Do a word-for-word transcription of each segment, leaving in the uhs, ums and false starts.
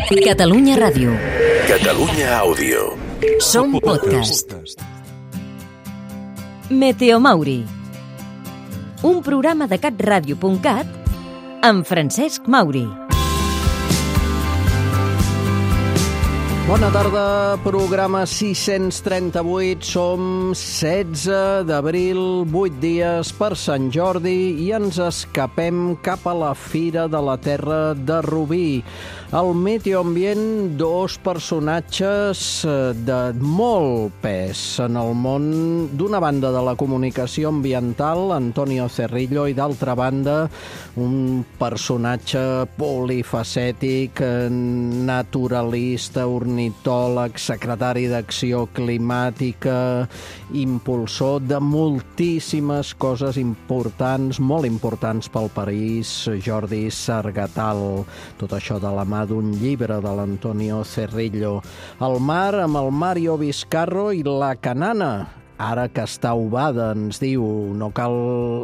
Catalunya Ràdio. Catalunya Àudio. Som podcast. Meteo Mauri. Un programa de catradio punt cat amb Francesc Mauri. Bona tarda, programa sis-cents trenta-vuit, som setze d'abril, vuit dies per Sant Jordi i ens escapem cap a la Fira de la Terra de Rubí. Al Meteo Ambient, dos personatges de molt pes en el món, d'una banda de la comunicació ambiental, Antonio Cerrillo, i d'altra banda un personatge polifacètic, naturalista, ornitòleg, secretari d'Acció Climàtica, impulsor de moltíssimes coses importants, molt importants pel país, Jordi Sargatal. Tot això de la mà d'un llibre de l'Antonio Cerrillo. El mar amb el Mario Vizcarro i la canana, ara que està ovada, ens diu. No cal,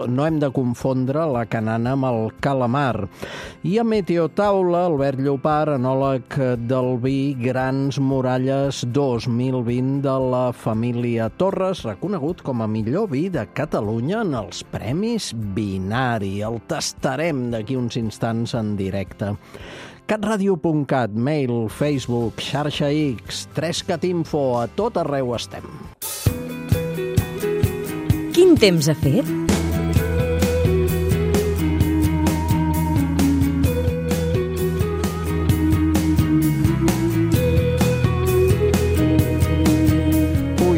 no hem de confondre la canana amb el calamar. I a Meteotaula, Albert Llopart, enòleg del vi Grans Muralles dos mil vint de la família Torres, reconegut com a millor vi de Catalunya en els Premis Binari. El tastarem d'aquí uns instants en directe. catradio punt cat, mail, Facebook, xarxa X, tres cat info, a tot arreu estem. Quin temps ha fet?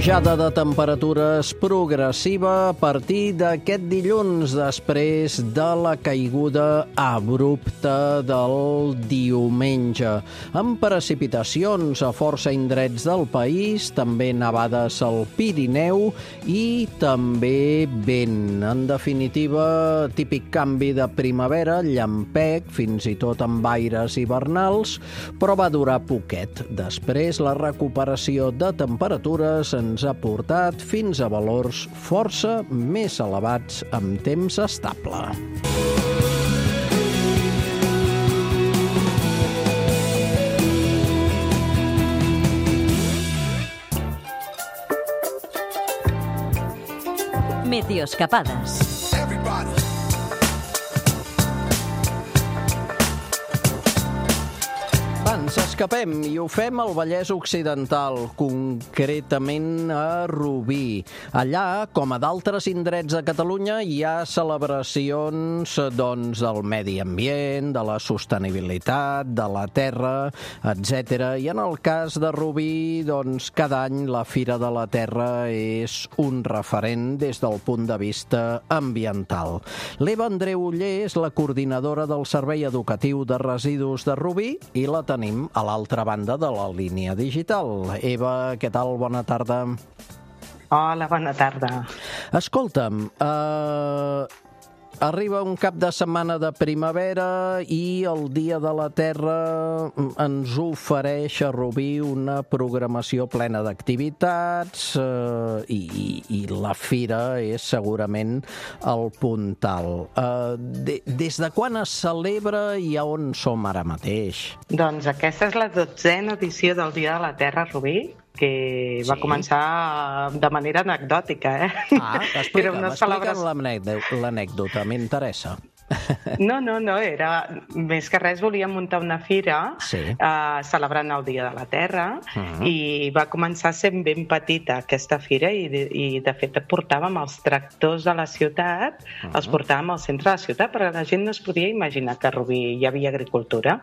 Pujada de temperatures progressiva a partir d'aquest dilluns, després de la caiguda abrupta del diumenge, amb precipitacions a força indrets del país, també nevades al Pirineu i també vent. En definitiva, típic canvi de primavera, llampec, fins i tot amb aires hivernals, però va durar poquet. Després, la recuperació de temperatures ens ha portat fins a valors força més elevats amb temps estable. Meteoscapades. Ens escapem i ho fem al Vallès Occidental, concretament a Rubí. Allà, com a d'altres indrets de Catalunya, hi ha celebracions doncs, del medi ambient, de la sostenibilitat, de la terra, etcètera. I en el cas de Rubí, doncs, cada any la Fira de la Terra és un referent des del punt de vista ambiental. L'Eva Andreu Oller és la coordinadora del Servei Educatiu de Residus de Rubí i la tenim a l'altra banda de la línia digital. Eva, què tal? Bona tarda. Hola, bona tarda. Escolta'm, eh... arriba un cap de setmana de primavera i el Dia de la Terra ens ofereix a Rubí una programació plena d'activitats eh, i, i la fira és segurament el puntal. Eh, de, des de quan es celebra i a on som ara mateix? Doncs aquesta és la dotzena edició del Dia de la Terra a Rubí, que va sí. començar de manera anecdòtica, eh? Ah, explica'm, explica'm l'anècdota, m'interessa. No, no, no, era més que res volíem muntar una fira sí. eh, celebrant el Dia de la Terra uh-huh. i va començar sent ben petita aquesta fira i de, i de fet portàvem els tractors de la ciutat, uh-huh. els portàvem al centre de la ciutat perquè la gent no es podia imaginar que a Rubí hi havia agricultura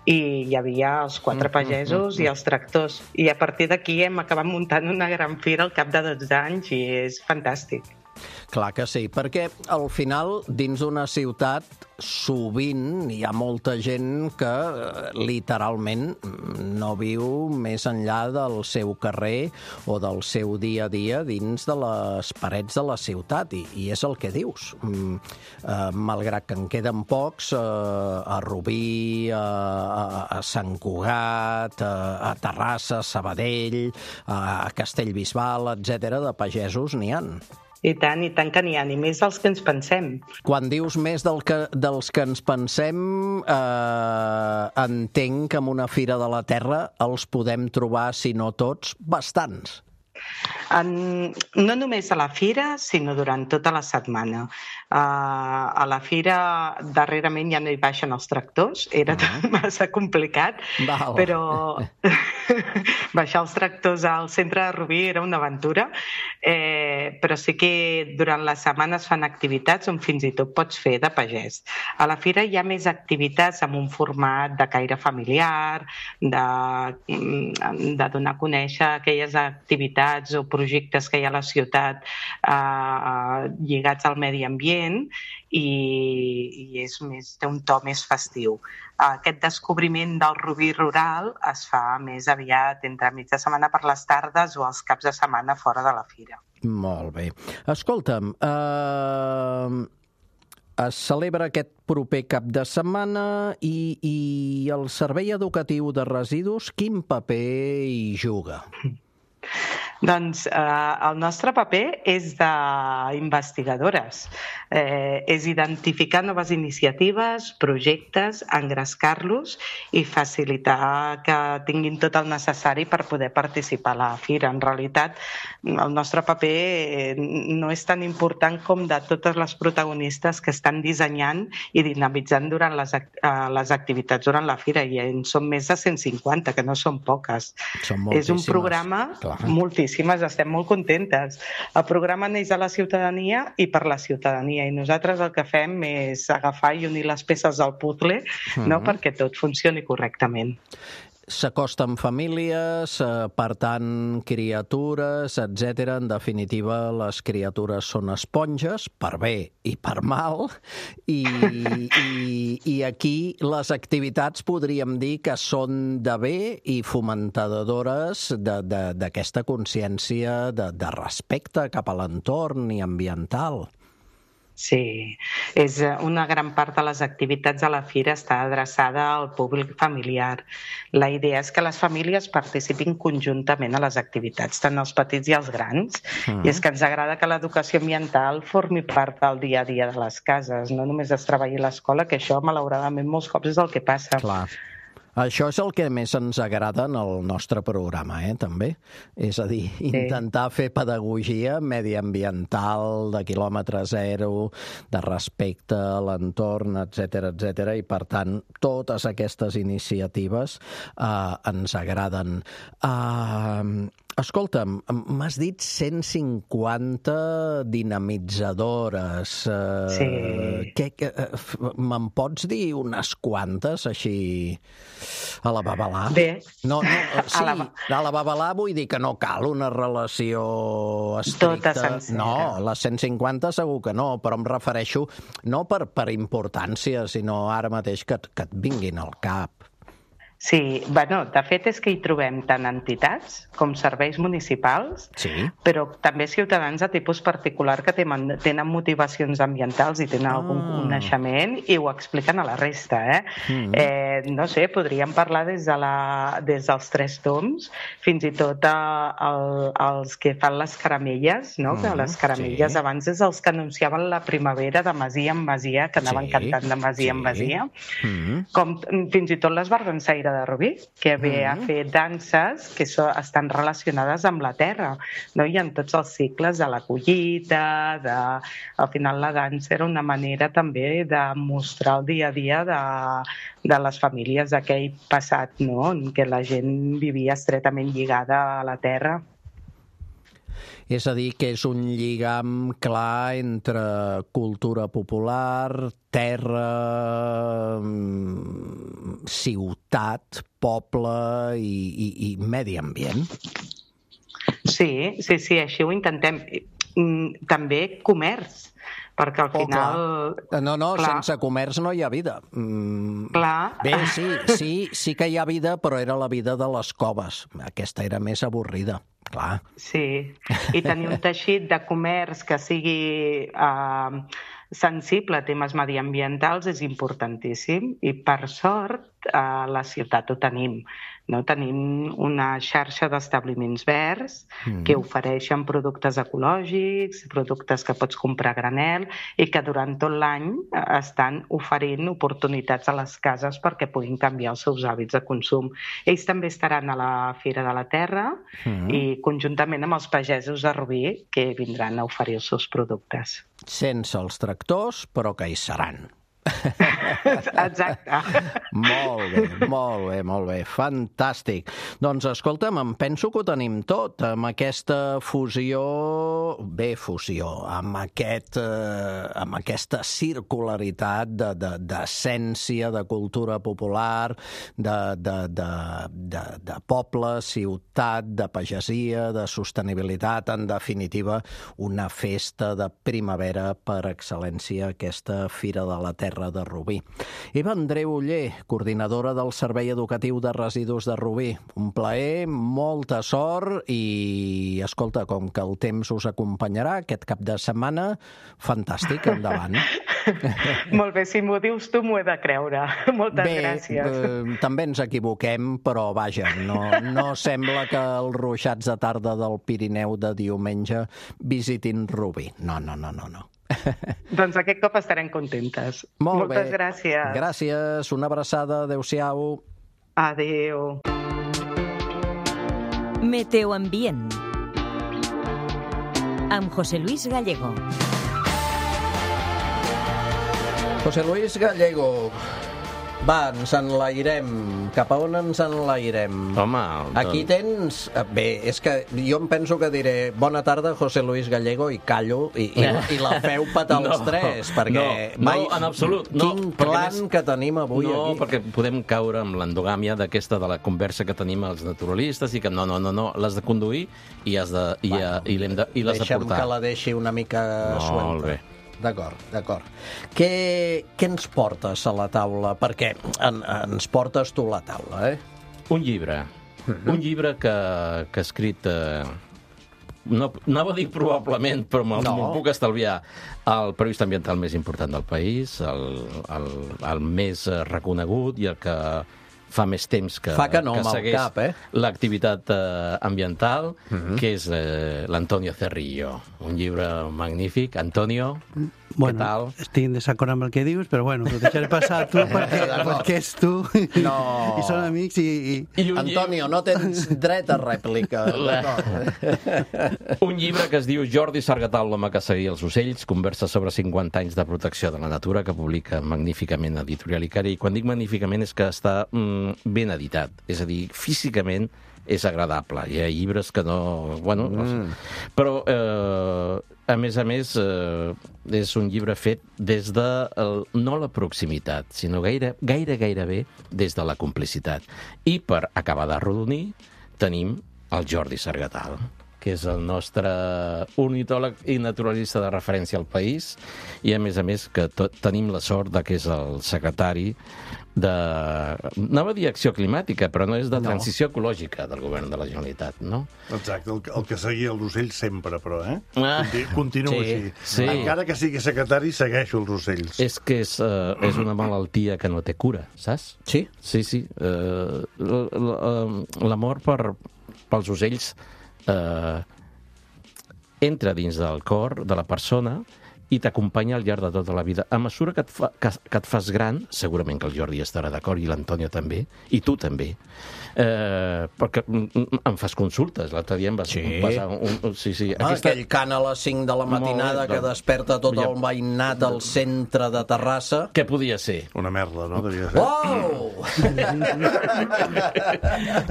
i hi havia els quatre pagesos uh-huh. i els tractors i a partir d'aquí hem acabat muntant una gran fira al cap de dotze anys i és fantàstic. Clar que sí, perquè al final, dins d'una ciutat, sovint hi ha molta gent que literalment no viu més enllà del seu carrer o del seu dia a dia dins de les parets de la ciutat, i, i és el que dius. Mm, eh, malgrat que en queden pocs, eh, a Rubí, a, a, a Sant Cugat, a, a Terrassa, a Sabadell, a Castellbisbal, etcètera, de pagesos n'hi han. I tant, i tant que n'hi ha, ni més dels que ens pensem. Quan dius més del que, dels que ens pensem, eh, entenc que en una Fira de la Terra els podem trobar, si no tots, bastants. En, no només a la Fira, sinó durant tota la setmana. Uh, a la Fira, darrerament ja no hi baixen els tractors, era uh-huh. massa complicat, Val. Però baixar els tractors al centre de Rubí era una aventura, eh, però sí que durant la setmana es fan activitats on fins i tot pots fer de pagès. A la Fira hi ha més activitats amb un format de caire familiar, de, de donar a conèixer aquelles activitats o projectes que hi ha a la ciutat eh, lligats al medi ambient i, i és més, té un to més festiu. Aquest descobriment del Rubí rural es fa més aviat entre mig de setmana per les tardes o els caps de setmana fora de la Fira. Molt bé. Escolta'm, eh, es celebra aquest proper cap de setmana i, i el Servei Educatiu de Residus quin paper hi juga? Doncs eh, el nostre paper és d'investigadores. Eh, és identificar noves iniciatives, projectes, engrescar-los i facilitar que tinguin tot el necessari per poder participar a la Fira. En realitat, el nostre paper no és tan important com de totes les protagonistes que estan dissenyant i dinamitzant durant les, les activitats durant la Fira, i en són més de cent cinquanta, que no són poques. Són és un programa, clar. moltíssimes, estem molt contentes. El programa neix a la ciutadania i per la ciutadania, i nosaltres el que fem és agafar i unir les peces del puzzle, mm-hmm. no, perquè tot funcioni correctament. S'acosten famílies, per tant, criatures, etcètera. En definitiva, les criatures són esponges, per bé i per mal, i, i, i aquí les activitats podríem dir que són de bé i fomentadores d'aquesta consciència de, de respecte cap a l'entorn i ambiental. Sí, és una gran part de les activitats de la Fira està adreçada al públic familiar. La idea és que les famílies participin conjuntament a les activitats, tant els petits i els grans, mm. i és que ens agrada que l'educació ambiental formi part del dia a dia de les cases, no només es treballi a l'escola, que això, malauradament, molts cops és el que passa. Clar. Això és el que més ens agrada en el nostre programa, eh, també. És a dir, intentar sí. fer pedagogia mediambiental, de quilòmetre zero, de respecte a l'entorn, etcètera, etcètera, i per tant, totes aquestes iniciatives eh, ens agraden. Eh, escolta'm, m'has dit cent cinquanta dinamitzadores. Eh, sí. Què, què, me'n pots dir unes quantes, així, a la babalà? Bé. No, no, sí, a la... a la babalà vull dir que no cal una relació estricta. Tota sencera. No, les cent cinquanta segur que no, però em refereixo no per, per importància, sinó ara mateix que, que et vinguin al cap. Sí, bueno, de fet és que hi trobem tant entitats com serveis municipals, sí. però també ciutadans de tipus particular que tenen, tenen motivacions ambientals i tenen ah. algun coneixement i ho expliquen a la resta. Eh? Mm. Eh, no sé, podríem parlar des, de la, des dels Tres Tombs fins i tot a, a, als que fan les caramelles, no? Mm, que les caramelles sí. abans és els que anunciaven la primavera de masia en masia, que anaven sí. cantant de masia sí. en masia, mm. com fins i tot les Bardansaire de Rubí, que ve a fer danses que so, estan relacionades amb la terra, no? I en tots els cicles de la collita, de... al final la dansa era una manera també de mostrar el dia a dia de, de les famílies d'aquell passat, no? En què la gent vivia estretament lligada a la terra. És a dir, que és un lligam clar entre cultura popular, terra, ciutat, poble i, i, i medi ambient. Sí, sí, sí, així ho intentem. També comerç, perquè al final... Oh, no, no, clar. Sense comerç no hi ha vida. Mm, clar. Bé, sí, sí, sí que hi ha vida, però era la vida de les coves. Aquesta era més avorrida. Clar. Sí, i tenir un teixit de comerç que sigui eh, sensible a temes mediambientals és importantíssim i, per sort, a la ciutat ho tenim. No? Tenim una xarxa d'establiments verds mm. que ofereixen productes ecològics, productes que pots comprar a granel i que durant tot l'any estan oferint oportunitats a les cases perquè puguin canviar els seus hàbits de consum. Ells també estaran a la Fira de la Terra mm. i conjuntament amb els pagesos de Rubí que vindran a oferir els seus productes. Sense els tractors, però que hi seran. Exacte. Molt bé, molt bé, molt bé, fantàstic. Doncs escolta'm, em penso que ho tenim tot, amb aquesta fusió, bé, fusió, amb, aquest, eh, amb aquesta circularitat de, de, d'essència, de cultura popular, de, de, de, de, de poble, ciutat, de pagesia, de sostenibilitat, en definitiva, una festa de primavera per excel·lència, aquesta Fira de la Terra de Rubí. Eva Andreu Oller, coordinadora del Servei Educatiu de Residus de Rubí. Un plaer, molta sort i, escolta, com que el temps us acompanyarà aquest cap de setmana, fantàstic, endavant. Molt bé, si m'ho dius tu m'ho he de creure. Moltes bé, gràcies. Bé, també ens equivoquem, però vaja, no, no sembla que els ruixats de tarda del Pirineu de diumenge visitin Rubí. No, no, no, no, no. Doncs aquest cop estarem contentes. Molt Moltes bé. gràcies. Gràcies, una abraçada, adéu-siau. Adéu. Meteoambient amb José Luis Gallego. José Luis Gallego, va, ens enlairem. Cap a on ens enlairem? Home... Aquí tens... Bé, és que jo em penso que diré bona tarda, José Luis Gallego, i callo, i, i, i la feu petar els no, tres, perquè... No, mai... no, en absolut. No, quin plan més... que tenim avui no, aquí. No, perquè podem caure amb l'endogàmia d'aquesta de la conversa que tenim els naturalistes i que no, no, no, no, l'has de conduir i, has de, i, bueno, i, l'hem de, i l'has de portar. Deixa'm que la deixi una mica suelta. Molt bé. D'acord, d'acord. Què, què ens portes a la taula? Perquè en, ens portes tu a la taula, eh? Un llibre. Uh-huh. Un llibre que, que ha escrit... Eh, no, anava a dir probablement, però me'l no. puc estalviar. El periodista ambiental més important del país, el, el, el més reconegut i el que fa més temps que, fa que, no, que segueix cap, eh? l'activitat eh, ambiental, uh-huh. que és eh, l'Antonio Cerrillo. Un llibre magnífic. Antonio, bueno, què tal? Estic en desacord amb el que dius, però bueno, ho deixaré passar a tu perquè, perquè és tu no. i són amics i... i... I Antonio, no tens dret a rèplica. Un llibre que es diu Jordi Sargatal, l'home que seguia els ocells, conversa sobre cinquanta anys de protecció de la natura, que publica magníficament Editorial Icari. I quan dic magníficament és que està mm, ben editat, és a dir, físicament és agradable. Hi ha llibres que no... Bueno, mm. no sé. Però, eh, a més a més, eh, és un llibre fet des de, el, no la proximitat, sinó gaire, gaire, gairebé des de la complicitat. I per acabar d'arrodonir, tenim el Jordi Sargatal, que és el nostre ornitòleg i naturalista de referència al país, i a més a més que tot, tenim la sort de que és el secretari de... anava a dir acció climàtica, però no és de transició no. ecològica del govern de la Generalitat, no? Exacte, el, el que seguia els ocells sempre, però, eh? Ah. Continua Sí, així. sí. Encara que sigui secretari, segueixo els ocells. És que és, uh, és una malaltia que no té cura, saps? Sí? Sí, sí. Uh, l'amor per, pels ocells uh, entra dins del cor de la persona i t'acompanya al llarg de tota la vida. A mesura que et, fa, que, que et fas gran, segurament que el Jordi estarà d'acord, i l'Antonio també, i tu també, eh, perquè em fas consultes. L'altre dia em vas sí. passar un... un sí, sí. Ah, Aquesta... Aquell cant a les cinc de la matinada que desperta tot el veïnat al centre de Terrassa. Què podia ser? Una merda, no? Devia ser. Oh!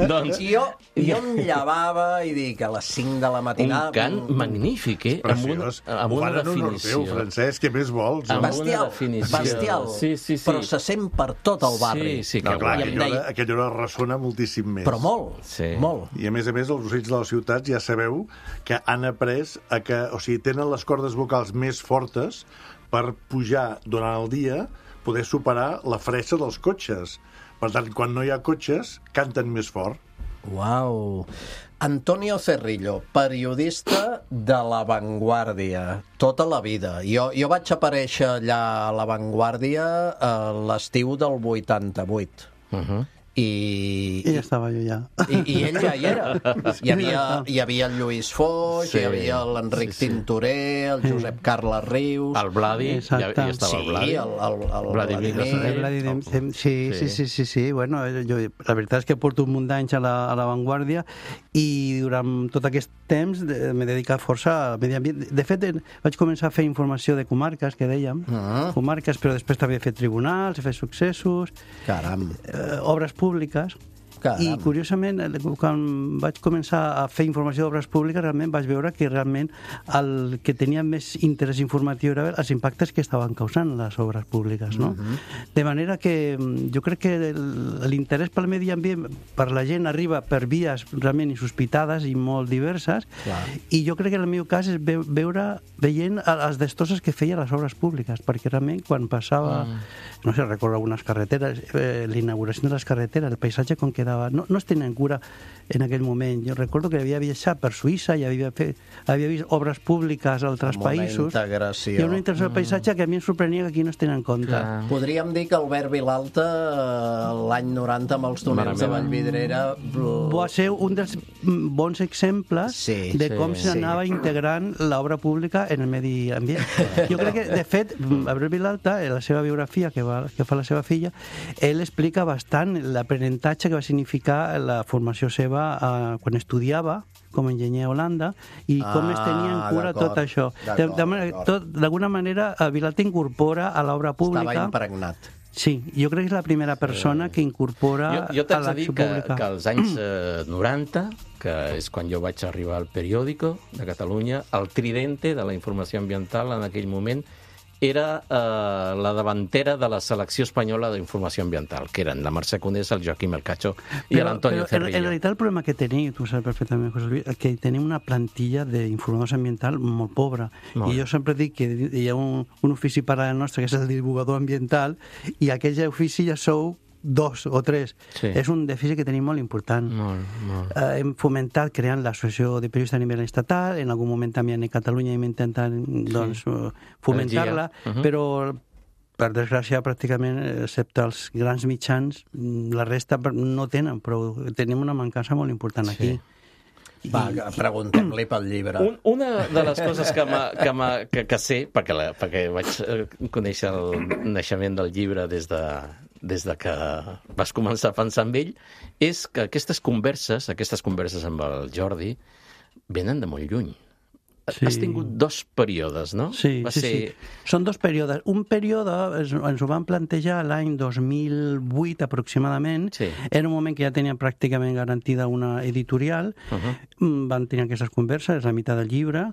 doncs... Jo, jo em llevava i dic a les cinc de la matinada... Un cant magnífic, eh? Preciós. Amb una, amb una definició. Francesc, què més vols? Amb bestial, bestial. Sí, sí, sí. Però se sent per tot el barri. Sí, sí, no, que clar, guai. aquella hora, aquella hora ressona moltíssim més. Però molt, sí. molt. I a més a més, els ocells de les ciutats ja sabeu que han après a que, o sigui, tenen les cordes vocals més fortes per pujar durant el dia, poder superar la fressa dels cotxes. Per tant, quan no hi ha cotxes, canten més fort. Uau! Antonio Cerrillo, periodista de La Vanguardia, tota la vida. Jo, jo vaig aparèixer allà a La Vanguardia a l'estiu del vuitanta-vuit. Uh-huh. I, I ja estava jo ja. I, i ell ja hi era. Hi havia, hi havia el Lluís Foix, sí, hi havia l'Enric sí, sí. Tintorer, el Josep sí. Carles Rius... El Vladi, ja, ja estava sí, el Vladi. Sí, el, el, el Vladimir. Vladimir. Sí, sí, sí, sí, sí. Bueno, jo, la veritat és que porto un munt d'anys a la, a l'avantguàrdia i durant tot aquest temps m'he dedicat força al medi ambient. De fet, vaig començar a fer informació de comarques, que dèiem, uh-huh. comarques, però després també he fet tribunals, he fet successos, Caram. Eh, obres públiques. Caram. I, curiosament, quan vaig començar a fer informació d'obres públiques, realment vaig veure que realment el que tenia més interès informatiu era els impactes que estaven causant les obres públiques, no? Uh-huh. De manera que jo crec que l'interès pel medi ambient per la gent arriba per vies realment insospitades i molt diverses, clar. I jo crec que en el meu cas és veure, veient les destoses que feia les obres públiques, perquè realment quan passava, uh-huh. no sé, recordo algunes carreteres, eh, l'inauguració de les carreteres, el paisatge com quedava No, no es tenia en cura en aquell moment. Jo recordo que havia viatjat per Suïssa i havia, fet, havia vist obres públiques a altres països. Integració. I una integració del paisatge que a mi em sorprenia que aquí no es tenen en compte. Clar. Podríem dir que Albert Vilalta, l'any noranta, amb els túnels de Vallvidrera... Va ser un dels bons exemples sí, de com sí, s'anava sí. integrant l'obra pública en el medi ambient. Jo crec que, de fet, Albert Vilalta, en la seva biografia que, va, que fa la seva filla, ell explica bastant l'aprenentatge que va significar la formació seva eh, quan estudiava com a enginyer a Holanda i com ah, es tenia en cura tot això. D'alguna manera, Vilalta incorpora a l'obra pública... Estava impregnat. Sí, jo crec que és la primera persona que incorpora jo, jo a l'acció pública. Jo t'haig de dir que, que als anys eh, noranta, que és quan jo vaig arribar al periòdico de Catalunya, el tridente de la informació ambiental en aquell moment era eh, la davantera de la selecció espanyola d'informació ambiental, que eren la Mercè Conés, el Joaquim Elcacho i l'Antonio Cerrillo. En realitat el problema que tenim, tu saps perfectament, José Luis, que tenim una plantilla d'informadors ambiental molt pobra. Molt. I jo sempre dic que hi ha un, un ofici paral·lel nostre, que és el divulgador ambiental, i aquell ofici ja sou dos o tres. Sí. És un dèficit que tenim molt important. Molt, molt. Eh, hem fomentat creant l'associació de periodistes a nivell estatal, en algun moment també a Catalunya hem intentat doncs, sí. fomentar-la, uh-huh. però per desgràcia pràcticament, excepte els grans mitjans, la resta no tenen, però tenim una mancança molt important aquí. Sí. Va, preguntem-li pel llibre. Un, una de les coses que, que, que, que sé, perquè, la, perquè vaig conèixer el naixement del llibre des de, des de que vas començar a pensar en ell, és que aquestes converses, aquestes converses amb el Jordi, venen de molt lluny. Sí. Has tingut dos períodes, no? Sí, Va sí, ser... sí. Són dos períodes. Un període ens, ens ho van plantejar l'any dos mil vuit aproximadament. Sí. Era un moment que ja tenien pràcticament garantida una editorial. Uh-huh. Van tenir aquestes converses, és la meitat del llibre.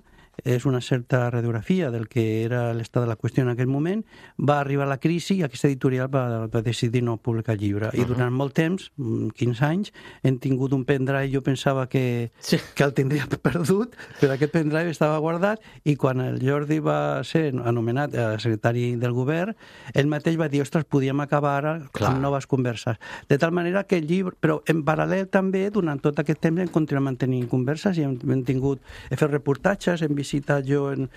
És una certa radiografia del que era l'estat de la qüestió en aquell moment. Va arribar la crisi i aquesta editorial va, va decidir no publicar el llibre. Uh-huh. I durant molt temps, quinze anys, hem tingut un pendrive, jo pensava que, sí. que el tindria perdut, però aquest pendrive estava guardat i quan el Jordi va ser anomenat secretari del govern, ell mateix va dir, ostres, podíem acabar ara Clar. amb noves converses. De tal manera que el llibre... Però en paral·lel també, durant tot aquest temps, hem continuat mantenint converses i hem, hem tingut... He fet reportatges, hem visitat jo en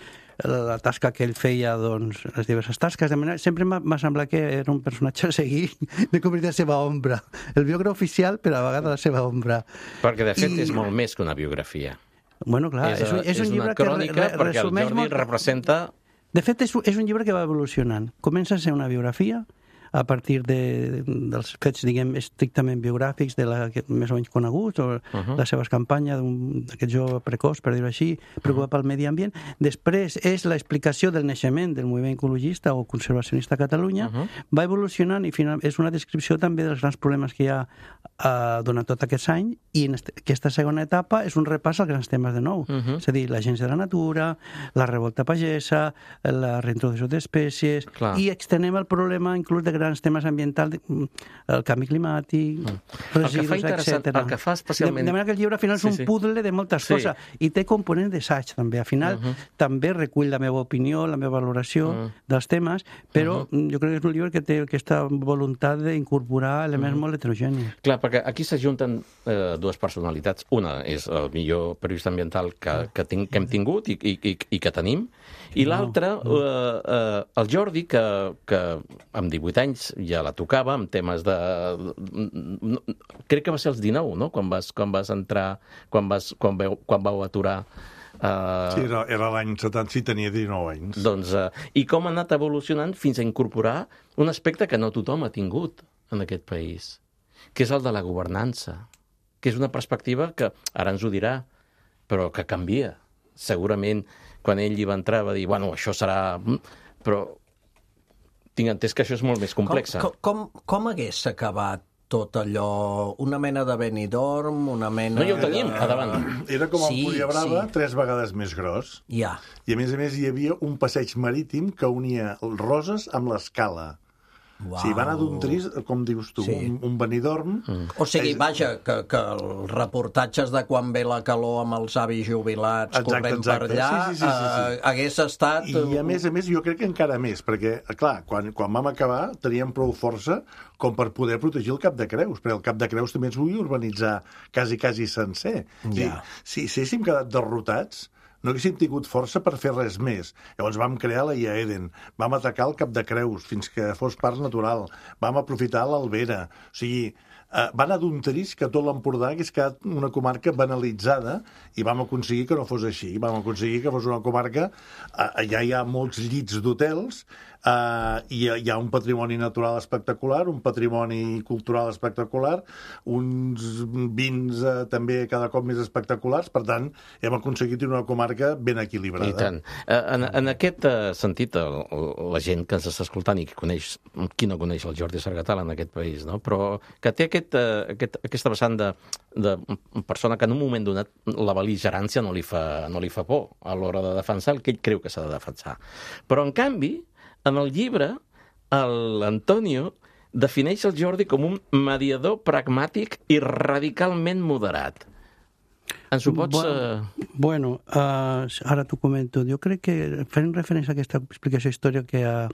la tasca que ell feia, doncs, les diverses tasques, de manera, sempre m'ha semblat que era un personatge a seguir, de convertir la seva ombra. El biògraf oficial, però a vegades la seva ombra. Perquè, de fet, I... és molt més que una biografia. Bueno, clar, és, és, un, és, és un llibre una crònica que re, re, perquè el Jordi molt... representa... De fet, és, és un llibre que va evolucionant. Comença a ser una biografia, a partir de, dels fets, diguem, estrictament biogràfics de la, més o menys coneguts, o uh-huh. la seva campanya d'aquest jove precoç, per dir-ho així, preocupat uh-huh. pel medi ambient. Després és l'explicació del naixement del moviment ecologista o conservacionista a Catalunya, uh-huh. va evolucionant i final, és una descripció també dels grans problemes que hi ha uh, durant tot aquest any, i en este, aquesta segona etapa és un repàs als grans temes de nou. Uh-huh. És a dir, l'agència de la natura, la revolta pagesa, la reintroducció d'espècies, Clar. i extenem el problema inclús de grans temes ambientals, el canvi climàtic, mm. residus, etcètera. El que fa especialment... De, de manera que el llibre al final sí, és un sí. puzzle de moltes sí. coses i té components d'assaig també. Al final uh -huh. també recull la meva opinió, la meva valoració uh -huh. dels temes, però uh -huh. jo crec que és un llibre que té aquesta voluntat d'incorporar elements uh -huh. molt heterogenis. Clar, perquè aquí s'ajunten eh, dues personalitats. Una és el millor periodista ambiental que, que, tinc, que hem tingut i, i, i, i que tenim, i l'altra, no, no. Eh, eh, el Jordi, que, que amb divuit anys anys ja la tocava, amb temes de... Crec que va ser als dinou, no?, quan vas, quan vas entrar, quan, vas, quan, veu, quan vau aturar... Uh... Sí, era, era l'any setanta, sí, tenia dinou anys. Doncs, uh, i com ha anat evolucionant fins a incorporar un aspecte que no tothom ha tingut en aquest país, que és el de la governança, que és una perspectiva que, ara ens ho dirà, però que canvia. Segurament, quan ell hi va entrar, va dir, bueno, això serà... Però tinc entès que això és molt més complex. Com, com, com hagués acabat tot allò, una mena de Benidorm, una mena... No, ja ho tenim, a davant. Era com el Sí, Puria Brava, sí. tres vegades més gros. Ja. I a més a més hi havia un passeig marítim que unia Roses amb l'Escala. Uau. Sí, va anar d'un tris, com dius tu, Sí. un, un Benidorm. Mm. O sigui, És- vaja, que, que els reportatges de quan ve la calor amb els avis jubilats Exacte, corrent exacte. per allà Sí, sí, sí, sí, sí. Eh, hagués estat... I a més a més jo crec que encara més, perquè, clar, quan, quan vam acabar teníem prou força com per poder protegir el Cap de Creus, perquè el Cap de Creus també ens volia urbanitzar quasi, quasi sencer. Ja. Si, si haguéssim quedat derrotats, no haguéssim tingut força per fer res més. Llavors vam crear la I A Eden, vam atacar el Cap de Creus fins que fos parc natural, vam aprofitar l'Albera. O sigui, eh, va anar d'un tris que tot l'Empordà hagués quedat una comarca banalitzada i vam aconseguir que no fos així. Vam aconseguir que fos una comarca... Eh, allà hi ha molts llits d'hotels, Uh, hi, ha, hi ha un patrimoni natural espectacular, un patrimoni cultural espectacular, uns vins uh, també cada cop més espectaculars, per tant, hem aconseguit una comarca ben equilibrada. I tant. En, en aquest sentit, el, la gent que ens està escoltant i que coneix, qui no coneix el Jordi Sargatal en aquest país, no? Però que té aquest, aquest, aquesta vessant de, de persona que en un moment donat la bel·ligerància no li fa, no li fa por a l'hora de defensar el que ell creu que s'ha de defensar. Però, en canvi, en el llibre, l'Antonio defineix el Jordi com un mediador pragmàtic i radicalment moderat. Ens ho pots... Bueno, bueno uh, ara t'ho comento. Jo crec que, fent referència a aquesta explicació històrica que ha,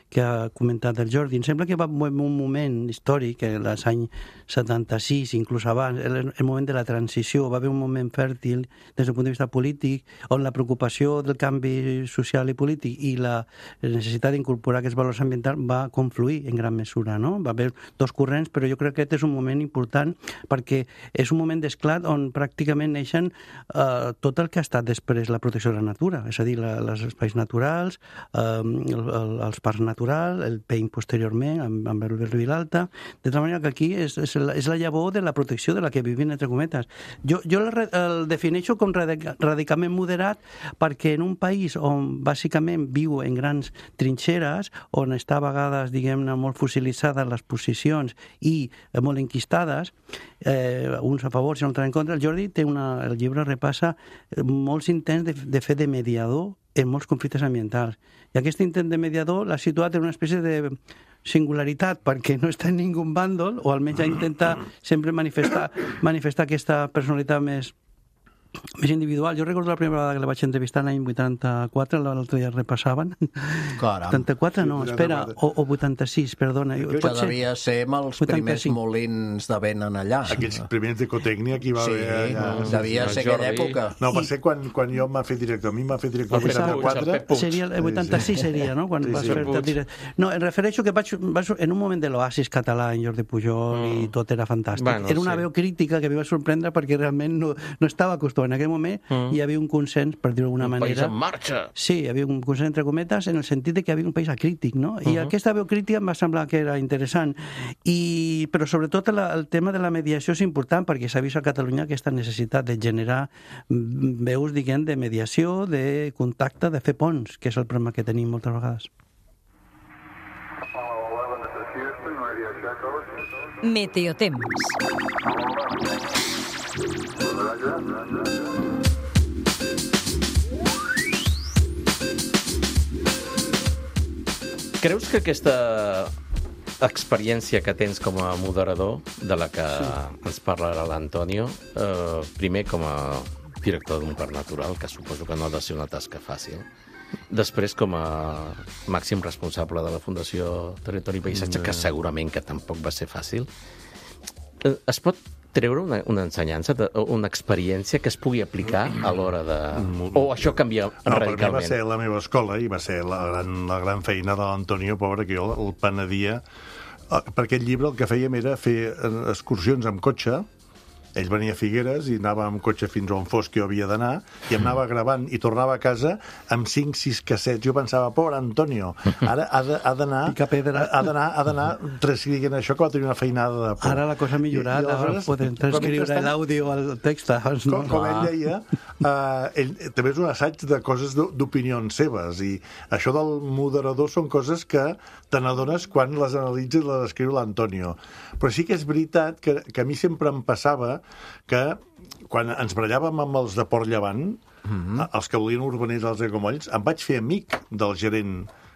que ha comentat el Jordi, em sembla que va en un moment històric, els anys setanta-sis, inclús abans, el, el moment de la transició, va haver un moment fèrtil des del punt de vista polític, on la preocupació del canvi social i polític i la necessitat d'incorporar aquests valors ambientals va confluir en gran mesura, no? Va haver dos corrents, però jo crec que aquest és un moment important perquè és un moment d'esclat on pràcticament neixen eh, tot el que ha estat després la protecció de la natura, és a dir, la, els espais naturals, eh, el, el, els parcs naturals, el P E I M posteriorment, amb, amb el Vilalta, de tal manera que aquí és, és, la, és la llavor de la protecció de la que vivim, entre cometes. Jo, jo el, el defineixo com radicalment moderat perquè en un país on bàsicament viu en grans trinxeres, on està a vegades, diguem-ne, molt fossilitzades les posicions i eh, molt enquistades, eh, uns a favor i uns en contra, el Jordi té una, el llibre repassa molts intents de, de fer de mediador en molts conflictes ambientals. I aquest intent de mediador l'ha situat en una espècie de singularitat perquè no està en ningú bàndol, o almenys ha intentat sempre manifestar, manifestar aquesta personalitat més més individual. Jo recordo la primera vegada que la vaig entrevistar l'any vuitanta-quatre, l'altre dia repassaven. Caram. vuitanta-quatre no, espera, o, o vuitanta-sis, perdona. Que devia ser amb els primers molins de vent en allà. Aquells primers d'ecotècnia que hi va sí, haver allà. Devia ser aquella època. No, va ser quan, quan jo m'ha fet director. A mi m'ha fet director el vuitanta-quatre. Seria el vuitanta-sis seria, no? Quan sí, vas sí, fer director. No, em refereixo que vaig, vaig en un moment de l'oasis català en Jordi Pujol mm. i tot era fantàstic. Bueno, era una sí. veu crítica que em va sorprendre perquè realment no, no estava acostumat. En aquell moment mm. hi havia un consens, per dir-ho d'alguna manera. Un país en marxa! Sí, hi havia un consens entre cometes en el sentit de que hi havia un país acrític, no? I uh -huh. aquesta veu crítica em va semblar que era interessant. I, però sobretot la, el tema de la mediació és important perquè s'ha vist a Catalunya aquesta necessitat de generar veus, diguem, de mediació, de contacte, de fer ponts, que és el problema que tenim moltes vegades. Meteotems. Creus que aquesta experiència que tens com a moderador, de la que sí. ens parlarà l'Antonio, eh, primer com a director d'un parc natural, que suposo que no ha de ser una tasca fàcil, després com a màxim responsable de la Fundació Territori i Paisatge, que segurament que tampoc va ser fàcil, eh, es pot treure una, una ensenyança, una experiència que es pugui aplicar a l'hora de... O això canvia no, radicalment? No, per mi va ser la meva escola i va ser la gran, la gran feina de l'Antonio, pobre, que jo el penedia. Per aquest llibre el que fèiem era fer excursions amb cotxe. Ell venia a Figueres i anava amb cotxe fins on fos que jo havia d'anar i em anava gravant i tornava a casa amb cinc sis cassets. Jo pensava, pobre Antonio, ara ha d'anar ha d'anar transcrivint això, que va tenir una feinada de por. Ara la cosa ha millorat, ara podem transcriure l'àudio al text. Com, com ell deia, uh, ell, també és un assaig de coses d'opinions seves, i això del moderador són coses que te n'adones quan les analitzes i les escriu l'Antonio. Però sí que és veritat que, que a mi sempre em passava que quan ens barallàvem amb els de Port Llevant, mm-hmm. els que volien urbanitzar els aiguamolls, em vaig fer amic del gerent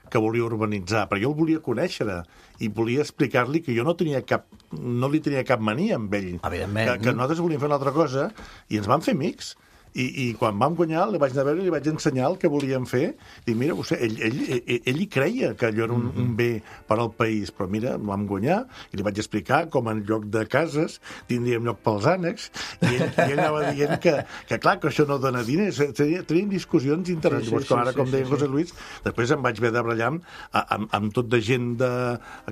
que volia urbanitzar, perquè jo el volia conèixer i volia explicar-li que jo no tenia cap, no li tenia cap mania amb ell, que, que nosaltres volíem fer una altra cosa, i ens vam fer amics. I, i quan vam guanyar, li vaig anar a veure i li vaig ensenyar el que volíem fer. I mira, vostè, ell, ell, ell, ell hi creia que allò era un, un bé per al país, però mira, vam guanyar i li vaig explicar com en lloc de cases tindríem lloc pels ànecs, i ell, i ell anava dient que, que clar, que això no dona diners. Teníem discussions interessants. Sí, sí, com ara, com sí, deia sí, José Luis, després em vaig haver de barallar amb, amb, amb tot de gent de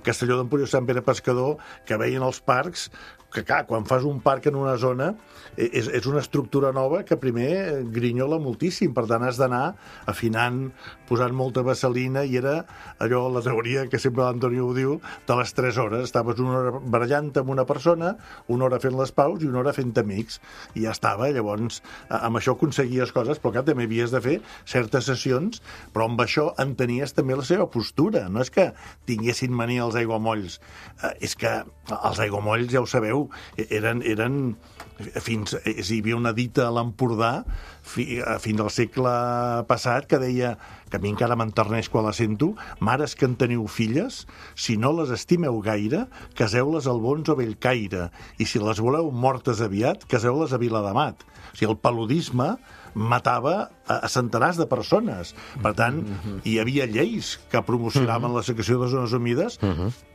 Castelló d'Empúries, Sant Pere Pescador, que veien els parcs, que clar, quan fas un parc en una zona és, és una estructura nova que primer grinyola moltíssim, per tant has d'anar afinant, posant molta vaselina, i era allò, la teoria que sempre l'Antonio ho diu, de les tres hores, estaves una hora barallant amb una persona, una hora fent les paus i una hora fent amics, i ja estava. Llavors amb això aconseguies coses, però clar, també havies de fer certes sessions, però amb això entenies també la seva postura. No és que tinguessin mania els aiguamolls, eh, és que els aiguamolls, ja ho sabeu, eren, eren fins, hi havia una dita a l'Empordà fi, fins al segle passat que deia, que a mi encara m'enterneix quan la sento: mares que en teniu filles, si no les estimeu gaire, caseu-les al Bons o Bellcaire, i si les voleu mortes aviat, caseu-les a Viladamat. O sigui, el paludisme matava a centenars de persones. Per tant, hi havia lleis que promocionaven la secreció de zones humides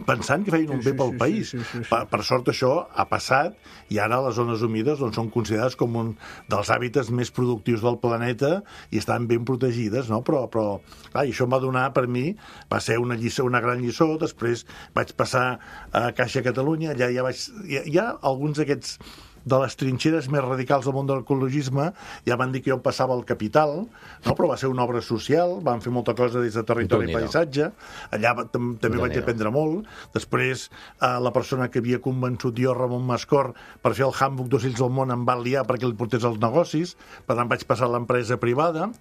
pensant que feien un bé pel país. Per, per sort això ha passat, i ara les zones humides doncs, són considerades com un dels hàbitats més productius del planeta i estan ben protegides, no? Però, però clar, això em va donar, per mi, va ser una, lliçó, una gran lliçó. Després vaig passar a Caixa Catalunya, allà ja vaig... Hi ha, hi ha alguns d'aquests de les trinxeres més radicals del món de l'ecologisme, ja van dir que jo passava al Capital, no? Però va ser una obra social, van fer molta cosa des de Territori i Paisatge, allà també vaig aprendre molt. Després, eh, la persona que havia convençut jo, Ramon Mascor, per fer el Handbook d'Ocells del Món, em va liar perquè li portés els negocis, per tant vaig passar a l'empresa privada,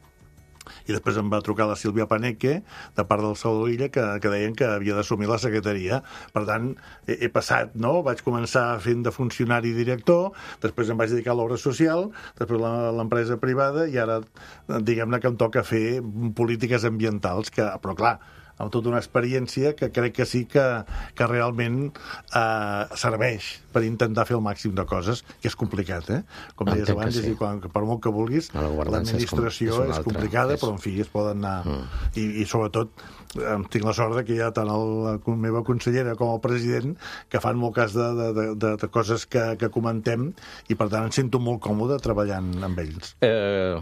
i després em va trucar la Sílvia Paneque, de part del Salvador Illa, que, que deien que havia d'assumir la secretaria. Per tant, he, he passat, no? Vaig començar fent de funcionari i director, després em vaig dedicar a l'obra social, després a l'empresa privada, i ara, diguem-ne que em toca fer polítiques ambientals, que, però clar, amb tota una experiència que crec que sí que, que realment eh, serveix per intentar fer el màxim de coses, que és complicat, eh? Com deies abans, sí. Quan, per molt que vulguis, l'administració és, com, és complicada, és... però en fi, es poden anar... Mm. I, I sobretot, tinc la sort que hi ha tant el, la meva consellera com el president que fan molt cas de, de, de, de coses que, que comentem, i per tant em sento molt còmode treballant amb ells. Eh,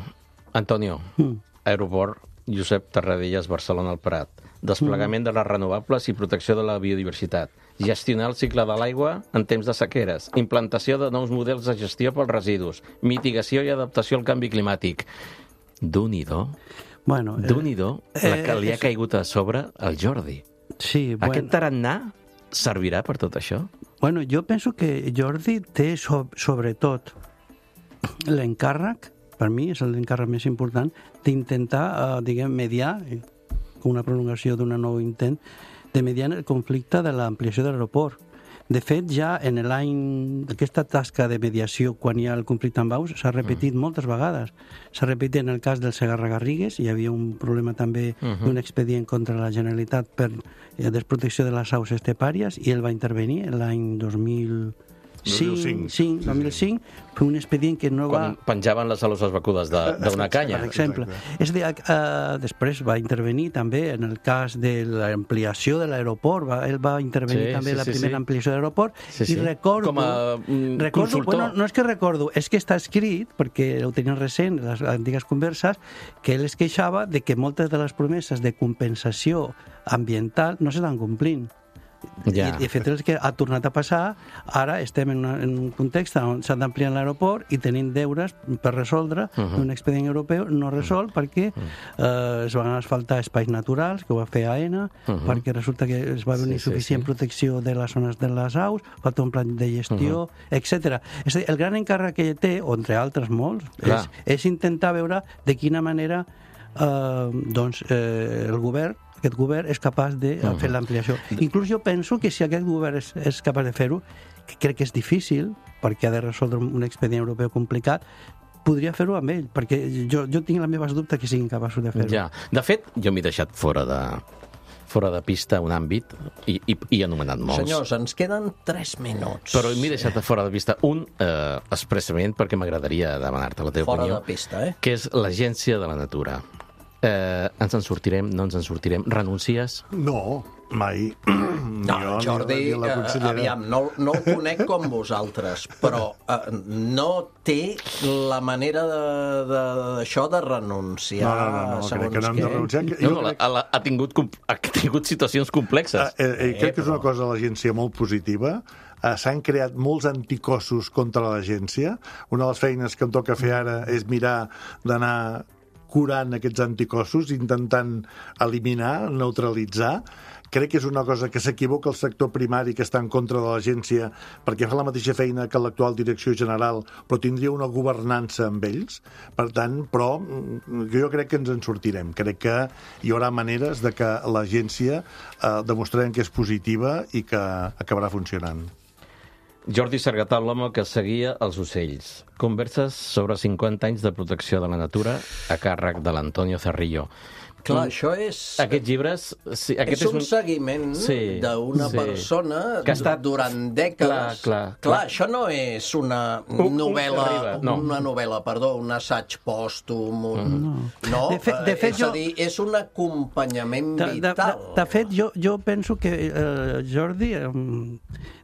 Antonio, mm. Aeroport Josep Tarradellas, Barcelona al Prat. Desplegament mm. de les renovables i protecció de la biodiversitat. Gestionar el cicle de l'aigua en temps de sequeres. Implantació de nous models de gestió pels residus. Mitigació i adaptació al canvi climàtic. D'un-i-do. Bueno, eh, D'un-i-do, la que li ha caigut a sobre al Jordi. Sí, bueno. Aquest tarannà servirà per tot això? Bueno, jo penso que Jordi té, so, sobretot, l'encàrrec, per mi és l'encàrrec més important, d'intentar, eh, diguem, mediar, una prolongació d'un nou intent, de mediar el conflicte de l'ampliació de l'aeroport. De fet, ja en l'any, aquesta tasca de mediació, quan hi ha el conflicte amb Baus, s'ha repetit mm. moltes vegades. S'ha repetit en el cas del Segarra-Garrigues, hi havia un problema també mm-hmm. d'un expedient contra la Generalitat per eh, desprotecció de les aus estepàries, i ell va intervenir l'any dos mil dos mil cinc. Sí, dos mil cinc, fue un expedient que no va... Quan penjaven les aloses vacudes d'una canya. Per exemple. És de, uh, després va intervenir també en el cas de l'ampliació de l'aeroport, va, ell va intervenir sí, també sí, en la sí, primera sí. ampliació de l'aeroport, sí, sí. i recordo... Com a mm, recordo, consultor. Bueno, no és que recordo, és que està escrit, perquè ho tenien recent, les antigues converses, que ell es queixava de que moltes de les promeses de compensació ambiental no s'estan complint. Ja. I, de fet, el que ha tornat a passar, ara estem en, una, en un context on s'ha d'ampliar l'aeroport i tenim deures per resoldre uh -huh. un expedient europeu no resolt uh -huh. perquè eh, es van asfaltar espais naturals, que ho va fer A E N A, uh -huh. perquè resulta que es va haver una sí, insuficient sí, sí. protecció de les zones de les aus, falta un plan de gestió, uh -huh. etcètera. És a dir, el gran encàrrec que ell té, o entre altres molts, és, és intentar veure de quina manera eh, doncs, eh, el govern aquest govern és capaç de uh-huh. fer l'ampliació. Inclús jo penso que si aquest govern és, és capaç de fer-ho, que crec que és difícil, perquè ha de resoldre un expedient europeu complicat, podria fer-ho amb ell, perquè jo, jo tinc les meves dubtes que siguin capaços de fer-ho. Ja. De fet, jo m'he deixat fora de fora de pista un àmbit i, i, i he anomenat molts. Senyors, ens queden tres minuts. Però m'he deixat fora de pista un eh, expressament perquè m'agradaria demanar-te la teva fora opinió. Fora de pista, eh? Que és l'Agència de la Natura. Eh, ens en sortirem, no ens en sortirem? Renuncies? No, mai. No, jo, Jordi, ni la uh, aviam, no, no el conec com vosaltres, però uh, no té la manera d'això de, de, de renunciar. No, no, no, no crec que no hem de renunciar. No, no, crec... ha, ha, tingut, ha tingut situacions complexes. Uh, eh, eh, crec que és una cosa de l'agència molt positiva. Uh, s'han creat molts anticossos contra l'agència. Una de les feines que em toca fer ara és mirar d'anar curant aquests anticossos, intentant eliminar, neutralitzar. Crec que és una cosa que s'equivoca el sector primari que està en contra de l'agència perquè fa la mateixa feina que l'actual direcció general, però tindria una governança amb ells. Per tant, però jo crec que ens en sortirem. Crec que hi haurà maneres de que l'agència eh, demostrarem que és positiva i que acabarà funcionant. Jordi Sargatal, l'home que seguia els ocells. Converses sobre cinquanta anys de protecció de la natura a càrrec de l'Antonio Cerrillo. Clar, això és... Aquests llibres... Sí, aquest és un, és un seguiment sí, d'una sí. persona que ha estat durant dècades. Clar, clar, clar, clar. Això no és una novel·la, no. una novel·la, perdó, un assaig pòstum, un... No, no de fet, de fet, és jo... a dir, és un acompanyament de, vital. De, de, de fet, jo, jo penso que eh, Jordi, eh,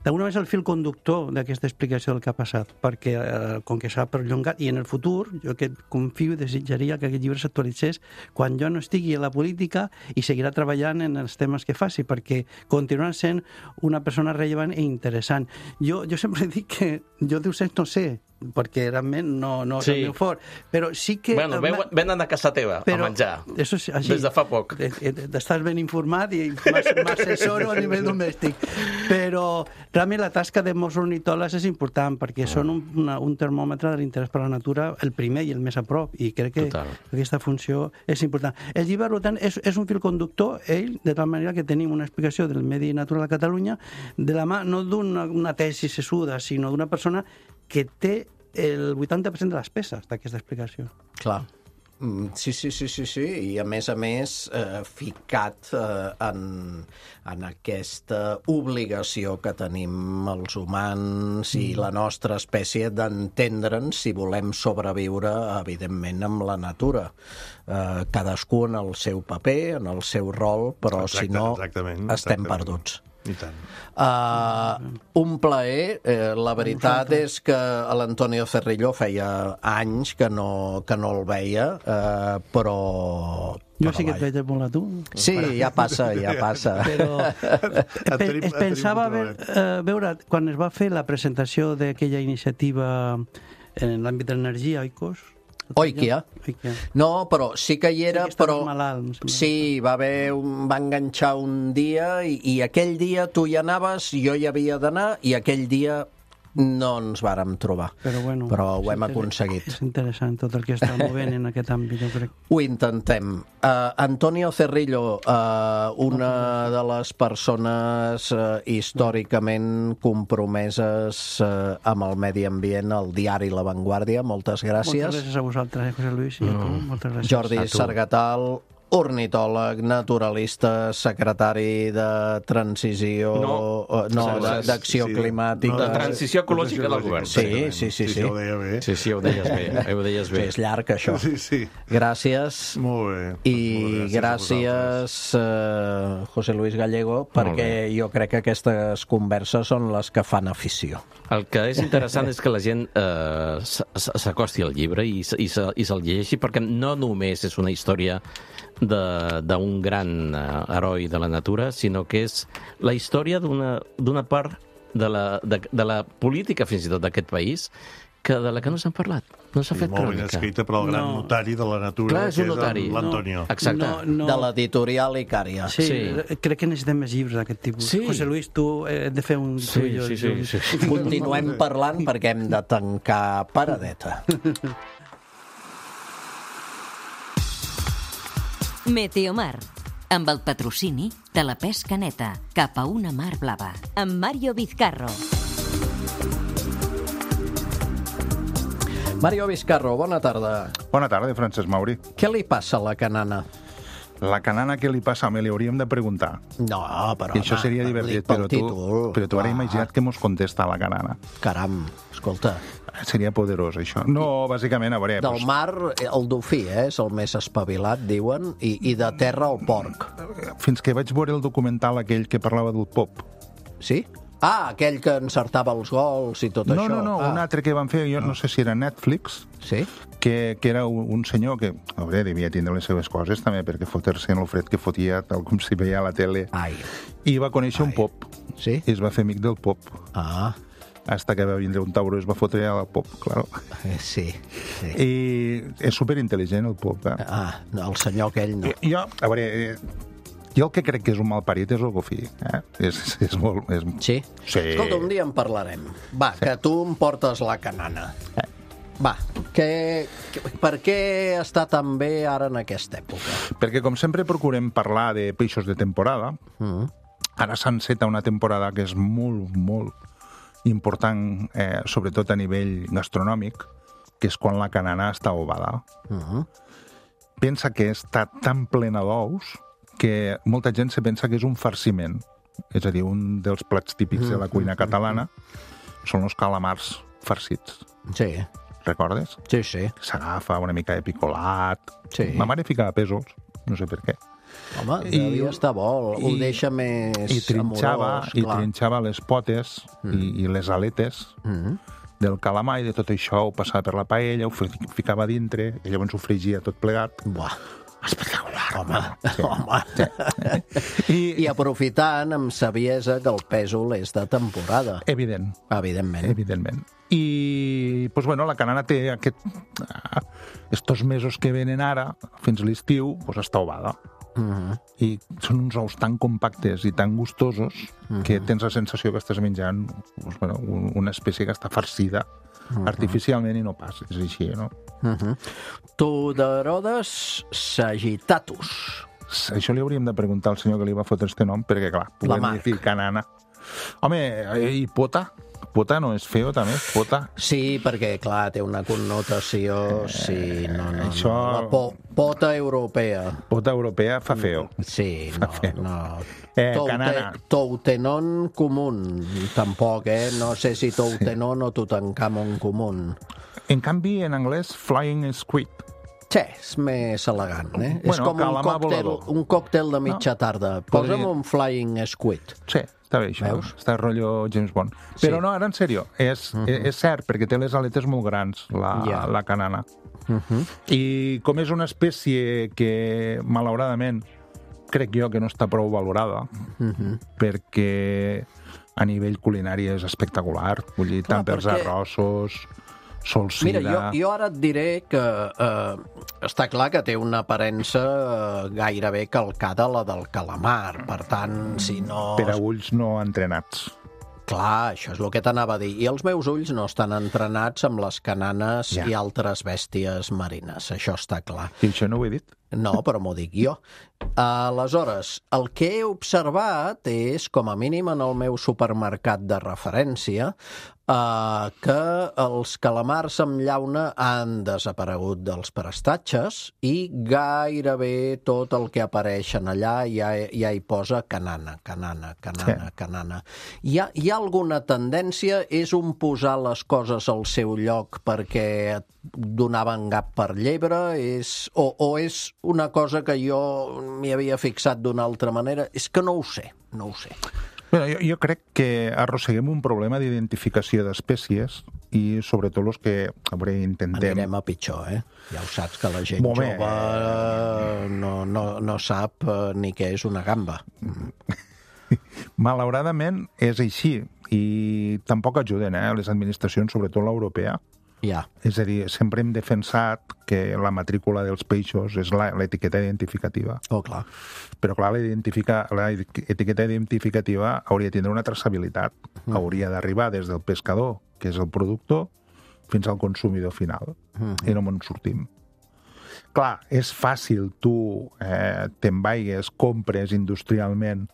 d'alguna vegada és el fil conductor d'aquesta explicació del que ha passat, perquè eh, com que s'ha perllongat, i en el futur, jo que confio i desitjaria que aquest llibre s'actualitzés quan jo no estigui a la política i seguirà treballant en els temes que faci, perquè continuarà sent una persona rellevant i interessant. Jo, jo sempre dic que jo d'ocells no sé, perquè realment no, no sí. és el meu fort, però sí que... Bueno, venen a casa teva però, a menjar, això és així, des de fa poc. Estàs ben informat i m'assessoro a nivell domèstic, però realment la tasca de Mossos ornitòlegs és important, perquè mm. són un, una, un termòmetre de l'interès per la natura, el primer i el més a prop, i crec que Total. aquesta funció és important. El llibre, per tant, és, és un fil conductor, ell, de tal manera que tenim una explicació del medi natural a Catalunya, de la mà, no d'una una tesi sessuda, sinó d'una persona que té el vuitanta per cent de les peces d'aquesta explicació. Clar. Sí, sí, sí, sí, sí, i a més a més eh, ficat eh, en, en aquesta obligació que tenim els humans i la nostra espècie d'entendre'ns si volem sobreviure, evidentment, amb la natura. Eh, cadascú en el seu paper, en el seu rol, però Exacte, si no exactament, estem exactament. perduts. I tant. Uh, un plaer. Eh, la veritat és que l'Antonio Cerrillo feia anys que no, que no el veia, eh, però... Jo sí que et veig molt a tu. Sí, ja passa, ja passa. Però es, es pensava ve, uh, veure, quan es va fer la presentació d'aquella iniciativa en l'àmbit de l'energia, Oikos, Oikia. No, però sí que hi era, sí però... Malalt, sí, va haver un... va enganxar un dia i, i aquell dia tu hi anaves, jo hi havia d'anar i aquell dia no ens vàrem trobar. Però, bueno, però ho hem aconseguit. És interessant tot el que està movent en aquest àmbit, jo crec. Ho intentem. Uh, Antonio Cerrillo, uh, una de les persones uh, històricament compromeses uh, amb el medi ambient, al diari La Vanguardia. Moltes gràcies. Moltes gràcies a vosaltres, eh, José Luis, i a tu. Moltes gràcies. Jordi Sargatal, ornitòleg, naturalista, secretari de transició... No, no d'acció sí, climàtica... De transició ecològica del govern. Sí, sí, sí. Sí, ho deia bé. Sí, sí, ho deies bé. Ho deies bé. Sí, és llarg, això. Sí, sí. Gràcies. Molt bé. I gràcies, uh, José Luis Gallego, perquè jo crec que aquestes converses són les que fan afició. El que és interessant és que la gent eh, s'acosti al llibre i, i, se, i se'l llegeixi, perquè no només és una història d'un gran eh, heroi de la natura, sinó que és la història d'una part de la, de, de la política, fins i tot, d'aquest país, que de la que no s'ha parlat. No s'ha fet crònica. Molt ben escrita per al gran no. notari de la natura, Clar, és un que notari. és l'Antonio. No. Exacte. No, no. De l'editorial Icària. Sí, Sí. crec que necessitem més llibres d'aquest tipus. Sí. José Luis, tu eh, hem de fer un... Sí, tu i jo, sí, sí, sí, sí. Continuem parlant perquè hem de tancar paradeta. Meteomar, amb el patrocini de la pesca neta cap a una mar blava, amb Mario Vizcarro. Mario Vizcarro, bona tarda. Bona tarda, Francesc Mauri. Què li passa a la canana? La canana, què li passa? Me li hauríem de preguntar. No, però... I això seria divertit, però tu, però tu ara imagina't que mos contesta la canana. Caram, escolta. Seria poderós, això. No, bàsicament, a veure... Del pues, mar, el dofí, eh, és el més espavilat, diuen, i, i de terra el porc. fins que vaig veure el documental aquell que parlava del pop. Sí? Ah, aquell que encertava els gols i tot no, això. No, no, no, ah. un altre que van fer, jo no sé si era Netflix, Sí? que, que era un, un senyor que, a veure, devia tindre les seves coses també, perquè fotre-se en el fred que fotia, tal com si veia a la tele. Ai. I va conèixer Ai. un pop. Sí? I es va fer amic del pop. Ah, Hasta que va vindre un tauró i es va fotre al pop, claro. eh, sí. sí. I és superintel·ligent, el pop. Eh? Ah, no, el senyor aquell no. Jo, a veure, eh, jo el que crec que és un malparit és el Gofí. Eh? És, és molt... És... Sí? Sí. Escolta, un dia en parlarem. Va, sí. Que tu em portes la canana. Eh. Va, que, que, per què està tan bé ara en aquesta època? Perquè, com sempre, procurem parlar de peixos de temporada. Mm. Ara s'enceta una temporada que és molt, molt important, eh, sobretot a nivell gastronòmic, que és quan la canana està ovada. Mm. Pensa que està tan plena d'ous que molta gent se pensa que és un farciment. És a dir, un dels plats típics de la cuina catalana són els calamars farcits. Sí, Recordes? sí, sí. S'agafa una mica de picolat. Sí. Ma mare ficava pèsols, no sé per què. Home, I- devia estar bo, ho i- deixa més I trinxava, amorós, i clar. trinxava les potes mm. i, i les aletes Mm. del calamar, i de tot això ho passava per la paella, ho fi- ficava dintre, i llavors ho fregia tot plegat. Buah. Espectacular. Home, Sí. home. I, I aprofitant amb saviesa que el pèsol és de temporada, evident, evidentment. evidentment. I, doncs, bueno, la canana té aquest... ah, estos mesos que venen ara, fins a l'estiu, doncs està ovada. Mhm. I són uns ous tan compactes i tan gustosos que tens la sensació que estàs menjant doncs, bueno, un- una espècie que està farcida artificialment i no pas, és així, no? Mhm. Tuderodes sagittatus. Això li hauríem de preguntar al senyor que li va fotre este nom, perquè, clar, La podem Marc. dir canana. Home, i pota? Pota no és feo, també? Pota? Sí, perquè, clar, té una connotació... Sí, no, no, això- no. La po pota europea. Pota europea fa feo. Sí, no, feo. no. Eh, Toute- canana. Toutenon común, tampoc, eh? No sé si Toutenon o Tutankamon común. En canvi, en anglès, flying squid. Sí, és més elegant, eh? és Bueno, com un calamar còctel, volador. un còctel de mitja tarda. Posa'm Podria- un flying squid. Sí, està bé, això. Veus? Està rotllo James Bond. Sí. Però no, ara en sèrio, és, uh -huh. és cert, perquè té les aletes molt grans, la, Ja. la canana. Uh -huh. I com és una espècie que, malauradament, crec jo que no està prou valorada, Uh -huh. perquè a nivell culinari és espectacular. Vull dir, Clar, tant pels perquè- arrossos, solsida... Mira, jo, jo ara et diré que eh, està clar que té una aparença eh, gairebé calcada a la del calamar. Per tant, si no... Per a ulls no entrenats. Clar, això és el que t'anava a dir. I els meus ulls no estan entrenats amb les cananes Ja. i altres bèsties marines. Això està clar. I això no ho he dit. No, però m'ho dic jo. Aleshores, el que he observat és, com a mínim en el meu supermercat de referència, Uh, que els calamars amb llauna han desaparegut dels prestatges i gairebé tot el que apareix en allà ja, ja hi posa canana, canana, canana, sí. canana. Hi ha, hi ha alguna tendència? És un posar les coses al seu lloc perquè donaven gap per llebre? És, o, o és una cosa que jo m'hi havia fixat d'una altra manera? És que no ho sé, no ho sé. Bueno, jo, jo crec que arrosseguem un problema d'identificació d'espècies i sobretot els que a veure, intentem... Anirem a pitjor, eh? Ja ho saps que la gent Moment. jove no, no, no sap ni què és una gamba. Malauradament és així i tampoc ajuden eh, les administracions, sobretot l'europea. Ja. És a dir, sempre hem defensat que la matrícula dels peixos és l'etiqueta identificativa. Oh, clar. Però, clar, l'etiqueta identificativa hauria de tindre una traçabilitat. Mm. Hauria d'arribar des del pescador, que és el productor, fins al consumidor final. Mm. I no me'n sortim. Clar, és fàcil, tu eh, te'n vaigues, compres industrialment,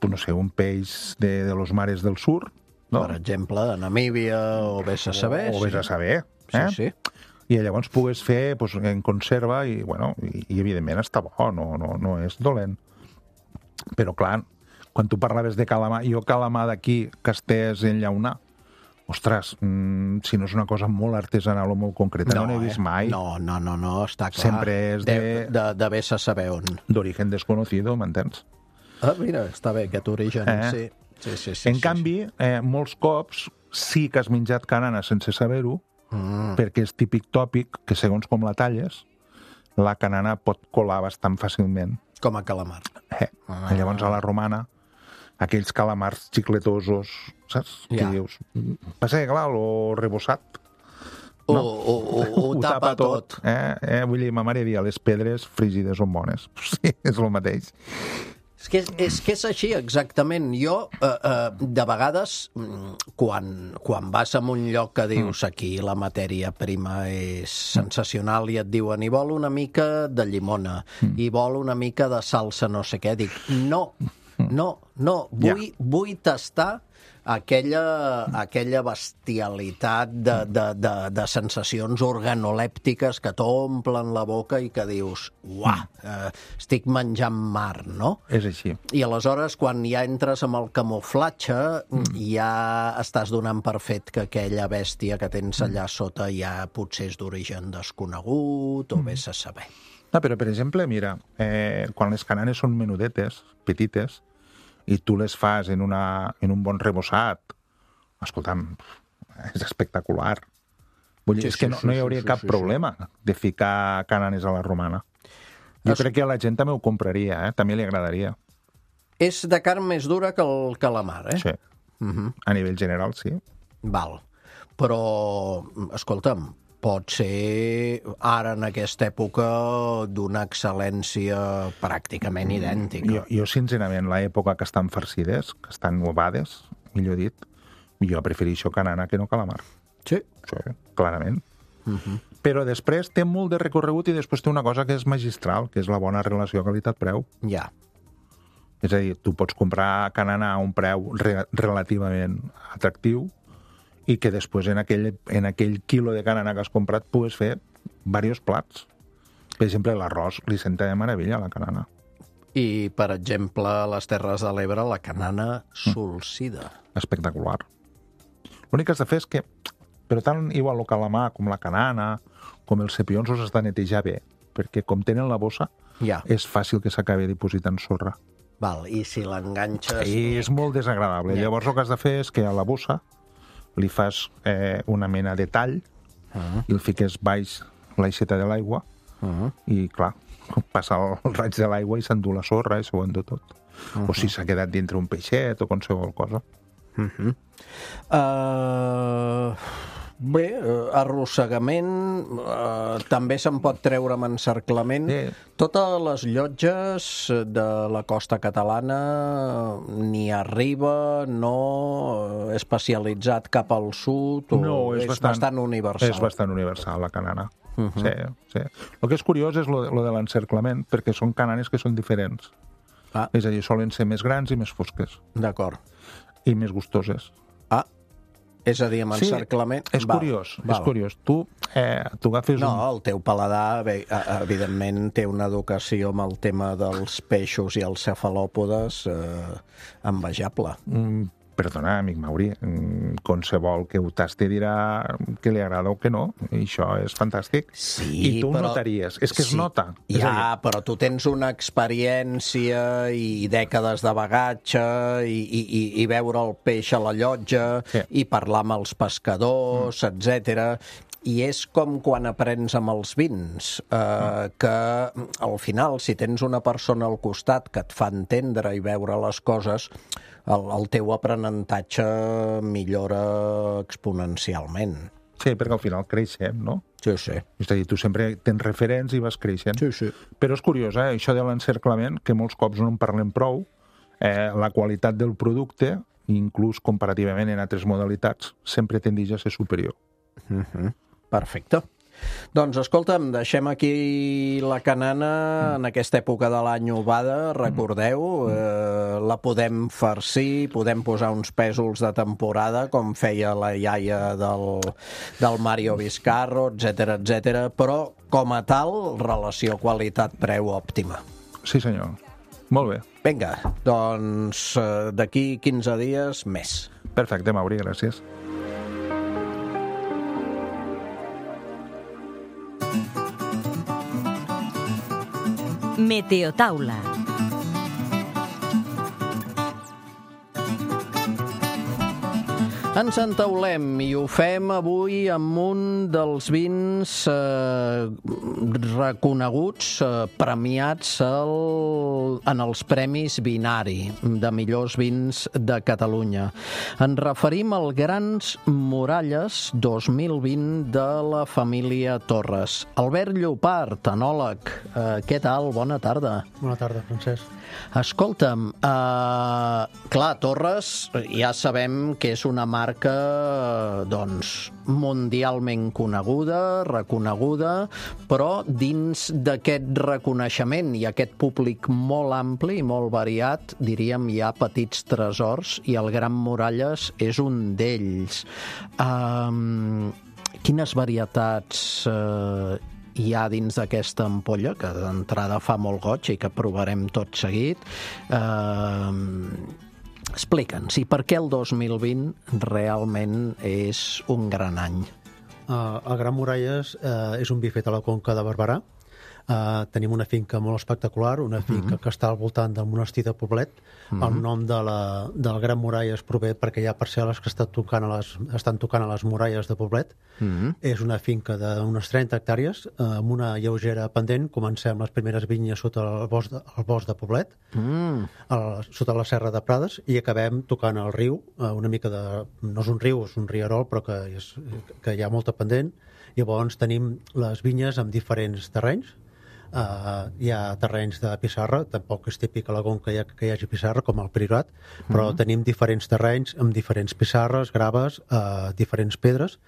no sé, un peix de, de los mares del sur, no? Per exemple, de Namíbia, o vés a saber. O, o vés a saber. Eh? Sí, sí. I llavors pugues fer pues, en conserva i, bueno, i, i evidentment està bo, no, no, no és dolent. Però, clar, quan tu parlaves de calamar, jo calamar d'aquí, que estès en llaunar, ostres, mmm, si no és una cosa molt artesanal o molt concreta, no, no n'he vist eh? mai. No, no, no, no, està clar. Sempre és de... De, de, de vés a saber on. D'origen desconocido, m'entens? Ah, mira, està bé, aquest origen, eh? sí. Sí, sí, sí, en sí, canvi, eh, molts cops sí que has menjat canana sense saber-ho, mm. perquè és típic tòpic que segons com la talles, la canana pot colar bastant fàcilment. Com a calamar. Eh. Ah. Llavors a la romana, aquells calamars xicletosos, saps? Ja. Que dius, passa que clar, lo rebossat. No? O, o, o, o ho tapa, tapa tot. tot. Eh? Eh? Vull dir, ma mare dia, les pedres frígides són bones. Sí, és el mateix. És que és, és que és així, exactament. Jo, eh, eh, de vegades, quan, quan vas a un lloc que dius aquí la matèria prima és sensacional i et diuen i vol una mica de llimona, i vol una mica de salsa no sé què, dic, no, no, no, vull, yeah. vull tastar aquella, aquella bestialitat de, de, de, de sensacions organolèptiques que t'omplen la boca i que dius, uah, eh, estic menjant mar, no? És així. I aleshores, quan ja entres amb el camuflatge, mm. ja estàs donant per fet que aquella bèstia que tens allà sota ja potser és d'origen desconegut o mm. vés a saber. No, però, per exemple, mira, eh, quan les cananes són menudetes, petites, i tu les fas en, una, en un bon rebossat, escolta'm, és espectacular. Vull dir, sí, és que no, sí, no hi hauria sí, cap sí, problema sí. de ficar cananes a la romana. Jo es... crec que a la gent també ho compraria, eh? També li agradaria. És de carn més dura que el calamar, eh? Sí, uh-huh. A nivell general, sí. Val. Però, escolta'm, pot ser ara en aquesta època d'una excel·lència pràcticament idèntica. Jo, jo sincerament, l'època que estan farcides, que estan ovades, millor dit, jo prefereixo canana que no calamar. Sí. Sí, clarament. Uh-huh. Però després té molt de recorregut i després té una cosa que és magistral, que és la bona relació qualitat-preu. Ja. És a dir, tu pots comprar canana a un preu re- relativament atractiu i que després en aquell, en aquell quilo de canana que has comprat pugues fer diversos plats. Per exemple, l'arròs li senta de meravella, la canana. I, per exemple, a les Terres de l'Ebre, la canana solsida. Espectacular. L'únic que has de fer és que, però tant igual el calamar com la canana, com els cepions, els has de netejar bé, perquè com tenen la bossa, ja. és fàcil que s'acabi dipositant sorra. Val, i si l'enganxes... I és molt desagradable. Ja. Llavors el que has de fer és que a la bossa li fas eh, una mena de tall uh-huh. i el fiques baix l'aixeta de l'aigua uh-huh. i, clar, passa el, el raig de l'aigua i s'endú la sorra i s'ho endú tot. Uh-huh. O si s'ha quedat dintre un peixet o qualsevol cosa. Uh-huh. Uh, bé, uh, arrossegament uh, també se'n pot treure amb encerclament. Sí. Totes les llotges de la costa catalana ni arriba, no especialitzat cap al sud, o no, és, és bastant, bastant universal? És bastant universal, la canana. Uh -huh. Sí, sí. El que és curiós és lo, lo de l'encerclament, perquè són cananes que són diferents. Ah. És a dir, solen ser més grans i més fosques. D'acord. I més gustoses. Ah, és a dir, amb encerclament... Sí, és val, curiós, val. és curiós. Tu, eh, tu agafes no, un... No, el teu paladar, bé, evidentment, té una educació amb el tema dels peixos i els cefalòpodes eh, envejable. Mm, perdona, amic Mauri, qualsevol que ho tasti dirà que li agrada o que no, i això és fantàstic. Sí, I tu però... ho notaries, és que es sí. nota. Ja, és dir... però tu tens una experiència i dècades de bagatge i, i, i veure el peix a la llotja sí. i parlar amb els pescadors, mm. etcètera. I és com quan aprens amb els vins, eh, que al final, si tens una persona al costat que et fa entendre i veure les coses, el, el teu aprenentatge millora exponencialment. Sí, perquè al final creixem, no? Sí, sí. És a dir, tu sempre tens referents i vas creixent. Sí, sí. Però és curiós, eh? Això de l'encerclament, que molts cops no en parlem prou, eh, la qualitat del producte, inclús comparativament en altres modalitats, sempre tendeix a ser superior. Uh-huh. Perfecte. Doncs, escolta'm, deixem aquí la canana en aquesta època de l'any ovada, recordeu, eh, la podem farcir, podem posar uns pèsols de temporada, com feia la iaia del, del Mario Vizcarro, etcètera, etcètera, però, com a tal, relació qualitat-preu òptima. Sí, senyor. Molt bé. Vinga, doncs, eh, d'aquí quinze dies més. Perfecte, Mauri, gràcies. Meteotaula. Ens entaulem i ho fem avui amb un dels vins eh, reconeguts, eh, premiats el, en els Premis Vinari de millors vins de Catalunya. Ens referim al Grans Muralles dos mil vint de la família Torres. Albert Llopart, enòleg, eh, què tal? Bona tarda. Bona tarda, Francesc. Escolta'm, eh, clar, Torres ja sabem que és una marca doncs, mundialment coneguda, reconeguda, però dins d'aquest reconeixement i aquest públic molt ampli i molt variat, diríem, hi ha petits tresors i el Gran Muralles és un d'ells. Um, quines varietats eh, hi ha dins d'aquesta ampolla, que d'entrada fa molt goig i que provarem tot seguit? Eh, Explica'ns, i per què el dos mil vint realment és un gran any? Uh, el Gran Muralles uh, és un vi fet a la Conca de Barberà. Uh, tenim una finca molt espectacular, una finca uh-huh. que està al voltant del monestir de Poblet. Uh-huh. El nom de la, del Gran Muralles prové perquè hi ha parcel·les que estan tocant a les, estan tocant a les muralles de Poblet. Uh-huh. És una finca d'unes trenta hectàrees, uh, amb una lleugera pendent. Comencem les primeres vinyes sota el bosc de, el bosc de Poblet, uh-huh. el, sota la serra de Prades, i acabem tocant el riu, uh, una mica de... no és un riu, és un rierol, però que, és, que hi ha molta pendent. Llavors tenim les vinyes amb diferents terrenys. Uh, hi ha terrenys de pissarra, tampoc és típic a la Conca que hi, ha, que hi hagi pissarra, com al Priorat, però uh-huh. tenim diferents terrenys amb diferents pissarres, graves, uh, diferents pedres.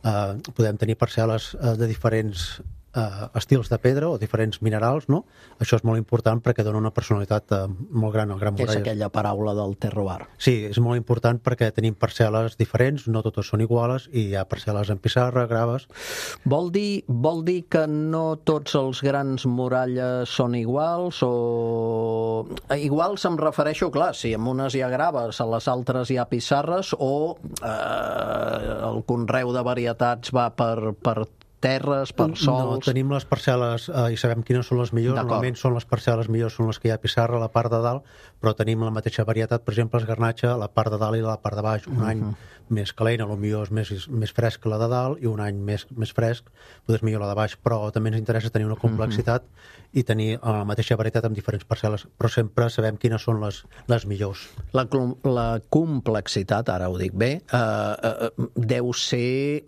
Uh, podem tenir parcel·les uh, de diferents uh, estils de pedra o diferents minerals, no? Això és molt important perquè dona una personalitat uh, molt gran al Gran Muralles. És aquella paraula del terroir. Sí, és molt important perquè tenim parcel·les diferents, no totes són iguales, i hi ha parcel·les en pissarra, graves... Vol dir, vol dir que no tots els grans muralles són iguals o... Iguals em refereixo, clar, si en unes hi ha graves, a les altres hi ha pissarres, o eh, el conreu de varietats va per, per terres, per sols... No, tenim les parcel·les eh, i sabem quines són les millors. Normalment són les parcel·les millors, són les que hi ha pissarra a la part de dalt, però tenim la mateixa varietat, per exemple, el garnatge a la part de dalt i a la part de baix. Un uh-huh. any més calent, potser és més, més fresc que la de dalt, i un any més, més fresc, potser és millor la de baix, però també ens interessa tenir una complexitat uh-huh. i tenir eh, la mateixa varietat amb diferents parcel·les, però sempre sabem quines són les, les millors. La, la complexitat, ara ho dic bé, eh, eh, deu ser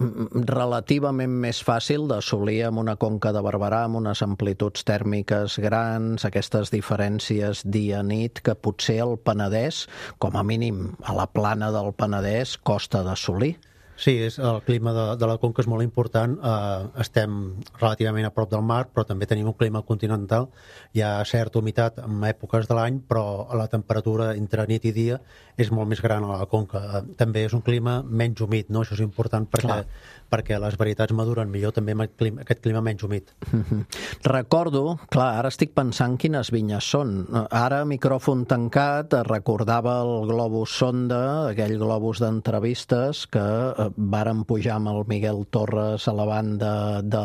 relativament més fàcil d'assolir amb una Conca de Barberà, amb unes amplituds tèrmiques grans, aquestes diferències dia-nit, que potser el Penedès, com a mínim a la plana del Penedès, costa d'assolir. Sí, és, el clima de, de la Conca és molt important. Uh, estem relativament a prop del mar, però també tenim un clima continental. Hi ha certa humitat en èpoques de l'any, però la temperatura entre nit i dia és molt més gran a la Conca. Uh, també és un clima menys humit, no? Això és important perquè, perquè les varietats maduren millor també amb clima, aquest clima menys humit. Mm-hmm. Recordo, clar, ara estic pensant quines vinyes són. Ara, micròfon tancat, recordava el globus sonda, aquell globus d'entrevistes que varen pujar amb el Miguel Torres a la banda de,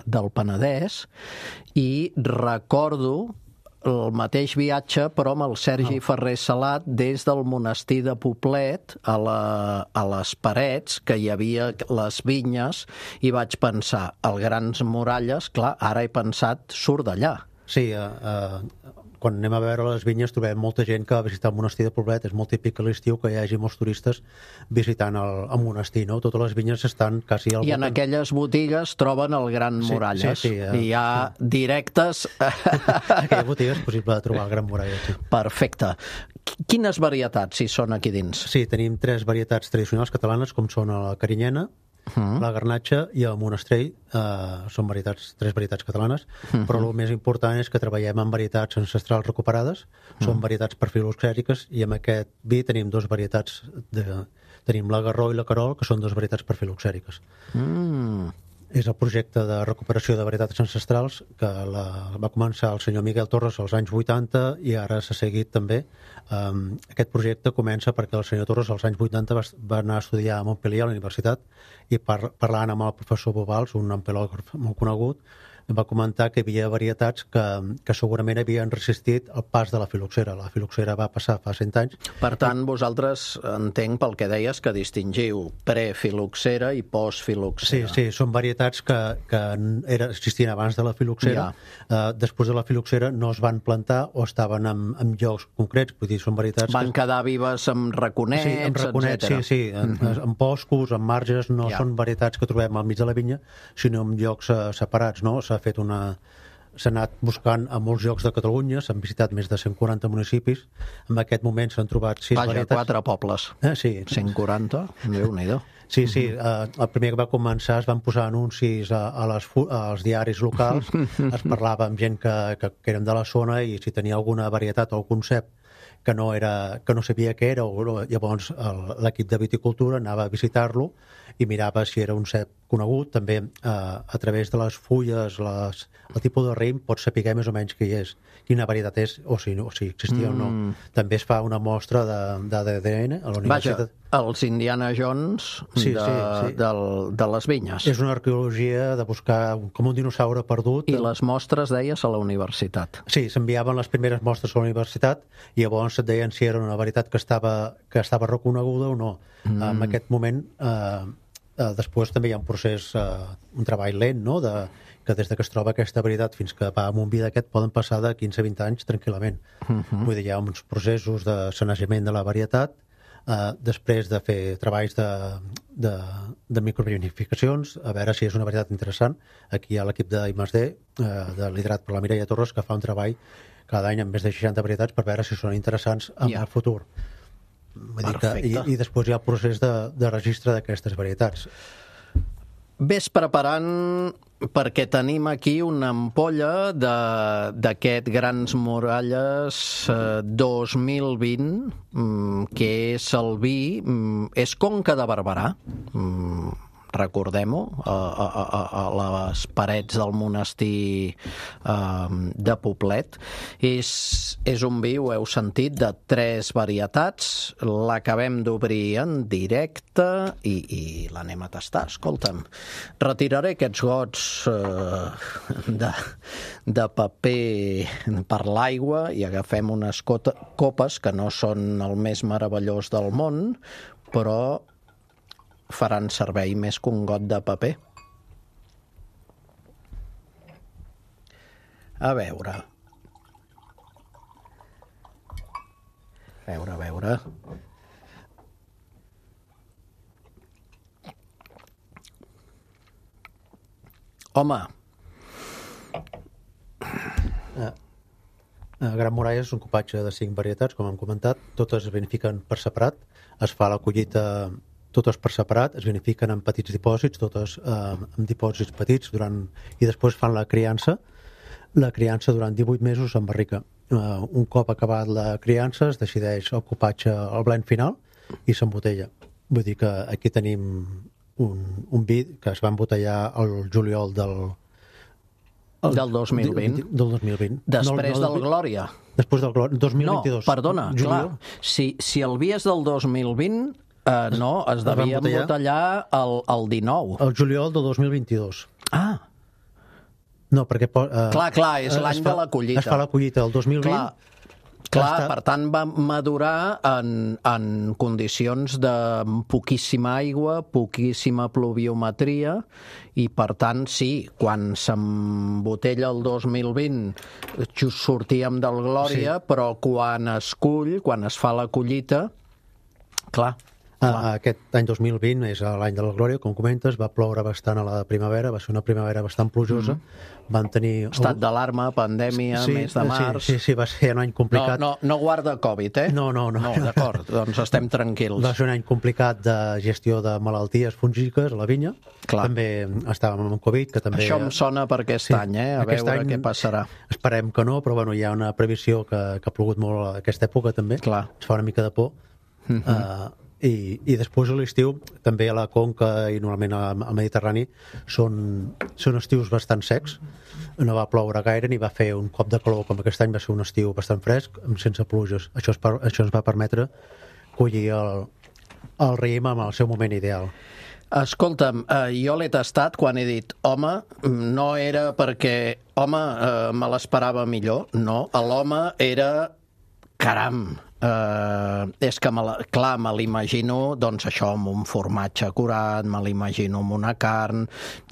del Penedès, i recordo el mateix viatge però amb el Sergi oh. Ferrer Salat des del monestir de Poblet a, la, a les Parets, que hi havia les vinyes, i vaig pensar, el Grans Muralles, clar, ara he pensat, surt d'allà. Sí, uh, uh, quan anem a veure les vinyes trobem molta gent que va visitar el monestir de Poblet. És molt típic a l'estiu que hi hagi molts turistes visitant el, el monestir, no? Totes les vinyes estan quasi al I en aquelles botigues troben el Gran Muralles. Sí, sí, sí, uh, I hi ha directes... En aquella botiga és possible trobar el Gran Muralles, sí. Perfecte. Quines varietats hi són aquí dins? Sí, tenim tres varietats tradicionals catalanes, com són la carinyena, Uh-huh. la garnatxa i el monestrell. Uh, són varietats, tres varietats catalanes, uh-huh. però el més important és que treballem amb varietats ancestrals recuperades. Uh-huh. Són varietats per filoxèriques, i amb aquest vi tenim dos varietats de, tenim la Garró i la Carol, que són dos varietats per filoxèriques. Mm. És el projecte de recuperació de varietats ancestrals que la, va començar el senyor Miguel Torres als anys vuitanta, i ara s'ha seguit també. Um, aquest projecte comença perquè el senyor Torres als anys vuitanta va, va anar a estudiar a Montpellier, a la universitat, i par, parlant amb el professor Bobals, un ampelògraf molt conegut, va comentar que hi havia varietats que, que segurament havien resistit el pas de la filoxera. La filoxera va passar fa cent anys. Per tant, vosaltres, entenc pel que deies, que distingiu prefiloxera i postfiloxera. Sí, sí, són varietats que, que era, existien abans de la filoxera. Ja. Uh, després de la filoxera no es van plantar o estaven en, en llocs concrets. Vull dir, són varietats... Van que... quedar vives amb raconets, sí, amb raconets, etcètera. Sí, sí, en, mm-hmm. en boscos, en marges. No ja. Són varietats que trobem al mig de la vinya, sinó en llocs uh, separats, no? S'ha fet una... s'ha anat buscant a molts llocs de Catalunya, s'han visitat més de cent quaranta municipis. En aquest moment s'han trobat sis Vaja, varietats. quatre pobles. Eh, sí. cent quaranta? Déu-n'hi-do. Sí, sí. Uh, el primer que va començar es van posar anuncis a, a les, als diaris locals. Es parlava amb gent que, que, que eren de la zona, i si tenia alguna varietat o algun cep que no, era, que no sabia què era, o, llavors l'equip de viticultura anava a visitar-lo i mirava si era un cep conegut. També eh, a través de les fulles, les, el tipus de raïm, pots saber més o menys què és, quina varietat és, o si, o si existia mm. o no. També es fa una mostra d'A D N a la universitat. Vaja, els Indiana Jones sí, de, sí, sí. Del, de les vinyes. És una arqueologia de buscar com un dinosaure perdut. I les mostres, deies, a la universitat. Sí, s'enviaven les primeres mostres a la universitat, i llavors et deien si era una varietat que estava, que estava reconeguda o no. Mm. En aquest moment... Eh, Uh, després també hi ha un procés, uh, un treball lent, no? De, que des de que es troba aquesta varietat fins que va amb un vi d'aquest poden passar de quinze a vint anys tranquil·lament. Uh-huh. Vull dir, hi ha uns processos de sanejament de la varietat, uh, després de fer treballs de, de, de microvinificacions, a veure si és una varietat interessant. Aquí hi ha l'equip d'I més D, uh, de liderat per la Mireia Torres, que fa un treball cada any amb més de seixanta varietats per veure si són interessants en yeah. el futur. Vull dir que, i, I després hi ha el procés de, de registre d'aquestes varietats. Ves preparant, perquè tenim aquí una ampolla d'aquest Grans Muralles eh, dos mil vint, mm, que és el vi, mm, és Conca de Barberà, mm, recordem-ho, a, a, a, a les parets del monestir eh, de Poblet. És, és un vi, ho heu sentit, de tres varietats. L'acabem d'obrir en directe i, i l'anem a tastar. Escolta'm, retiraré aquests gots eh, de, de paper per l'aigua i agafem unes copes que no són el més meravellós del món, però faran servei més que un got de paper. A veure. A veure, a veure. Home. Ah. Gran Muralles és un copatge de cinc varietats, com hem comentat. Totes es vinifiquen per separat. Es fa la collita totes per separat, es vinifiquen en petits dipòsits, totes eh, en dipòsits petits, durant, i després fan la criança. La criança durant divuit mesos en barrica. Uh, un cop acabat la criança es decideix el copatge al blend final i s'embotella. Vull dir que aquí tenim un, un vi que es va embotellar el juliol del... El, del dos mil vint. Del dos mil vint. Després no, no, del Glòria. Després del Glòria, dos mil vint-i-dos. No, perdona, juliol. Clar, si, si el vi és del dos mil vint, eh, no, es devia embotellar el, el dinou. El juliol del dos mil vint-i-dos. Ah, no, perquè... Uh, clar, clar, és l'any de la collita. Es fa la collita el dos mil vint. Clar, clar està... per tant va madurar en, en condicions de poquíssima aigua, poquíssima pluviometria, i per tant, sí, quan s'embotella el dos mil vint just sortíem del Glòria, sí. Però quan es cull, quan es fa la collita, clar... Ah, aquest any dos mil vint és l'any de la Glòria, com comentes, va ploure bastant a la primavera, va ser una primavera bastant plujosa, mm. van tenir... Estat d'alarma, pandèmia, sí, mes de març... Sí, sí, sí, va ser un any complicat. No, no, no guarda Covid, eh? No, no, no. No, d'acord, doncs estem tranquils. Va ser un any complicat de gestió de malalties fúngiques a la vinya. Clar. També estàvem amb Covid, que també... Això em sona per aquest sí, any, eh? A veure any, què passarà. Esperem que no, però bueno, hi ha una previsió que, que ha plogut molt a aquesta època, també. Clar. Es fa una mica de por. Mm-hmm. Uh, I, i després a l'estiu també a la Conca i normalment al Mediterrani són, són estius bastant secs, no va ploure gaire ni va fer un cop de calor com aquest any, va ser un estiu bastant fresc sense pluges. Això, es, això ens va permetre collir el, el raïm en el seu moment ideal. Escolta'm, eh, jo l'he tastat quan he dit home, no era perquè home, eh, me l'esperava millor, no, l'home era caram. Uh, és que, me la, clar, me l'imagino, doncs això, amb un formatge curat, me l'imagino amb una carn.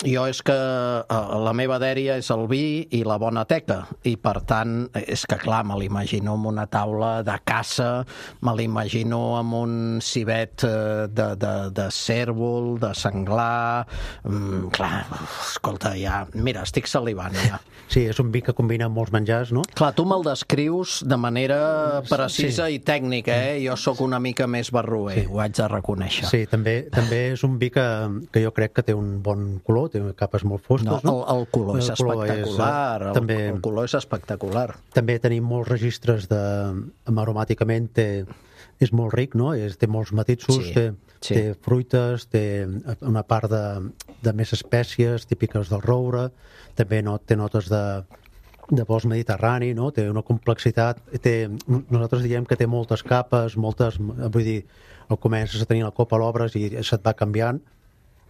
Jo és que uh, la meva dèria és el vi i la bona teca, i per tant, és que, clar, me l'imagino amb una taula de caça, me l'imagino amb un civet uh, de, de, de cèrvol, de senglar... Um, clar, escolta, ja... Mira, estic salivant, ja. Sí, és un vi que combina molts menjars, no? Clar, tu me'l descrius de manera precisa sí. i tècnica, eh? Jo sóc una mica més barroer, sí. Ho haig de reconèixer. Sí, també, també és un vi que, que jo crec que té un bon color, té capes molt fosques, no? no? El, el color el és color espectacular, és, el, també, el color és espectacular. També tenim molts registres de... aromàticament té, és molt ric, no? És, té molts matisos, sí, té, sí. té fruites, té una part de, de més espècies típiques del roure, també no, té notes de... de bosc mediterrani, no? Té una complexitat, té, nosaltres diem que té moltes capes, moltes, vull dir, el comences a tenir la copa a l'obres i se't va canviant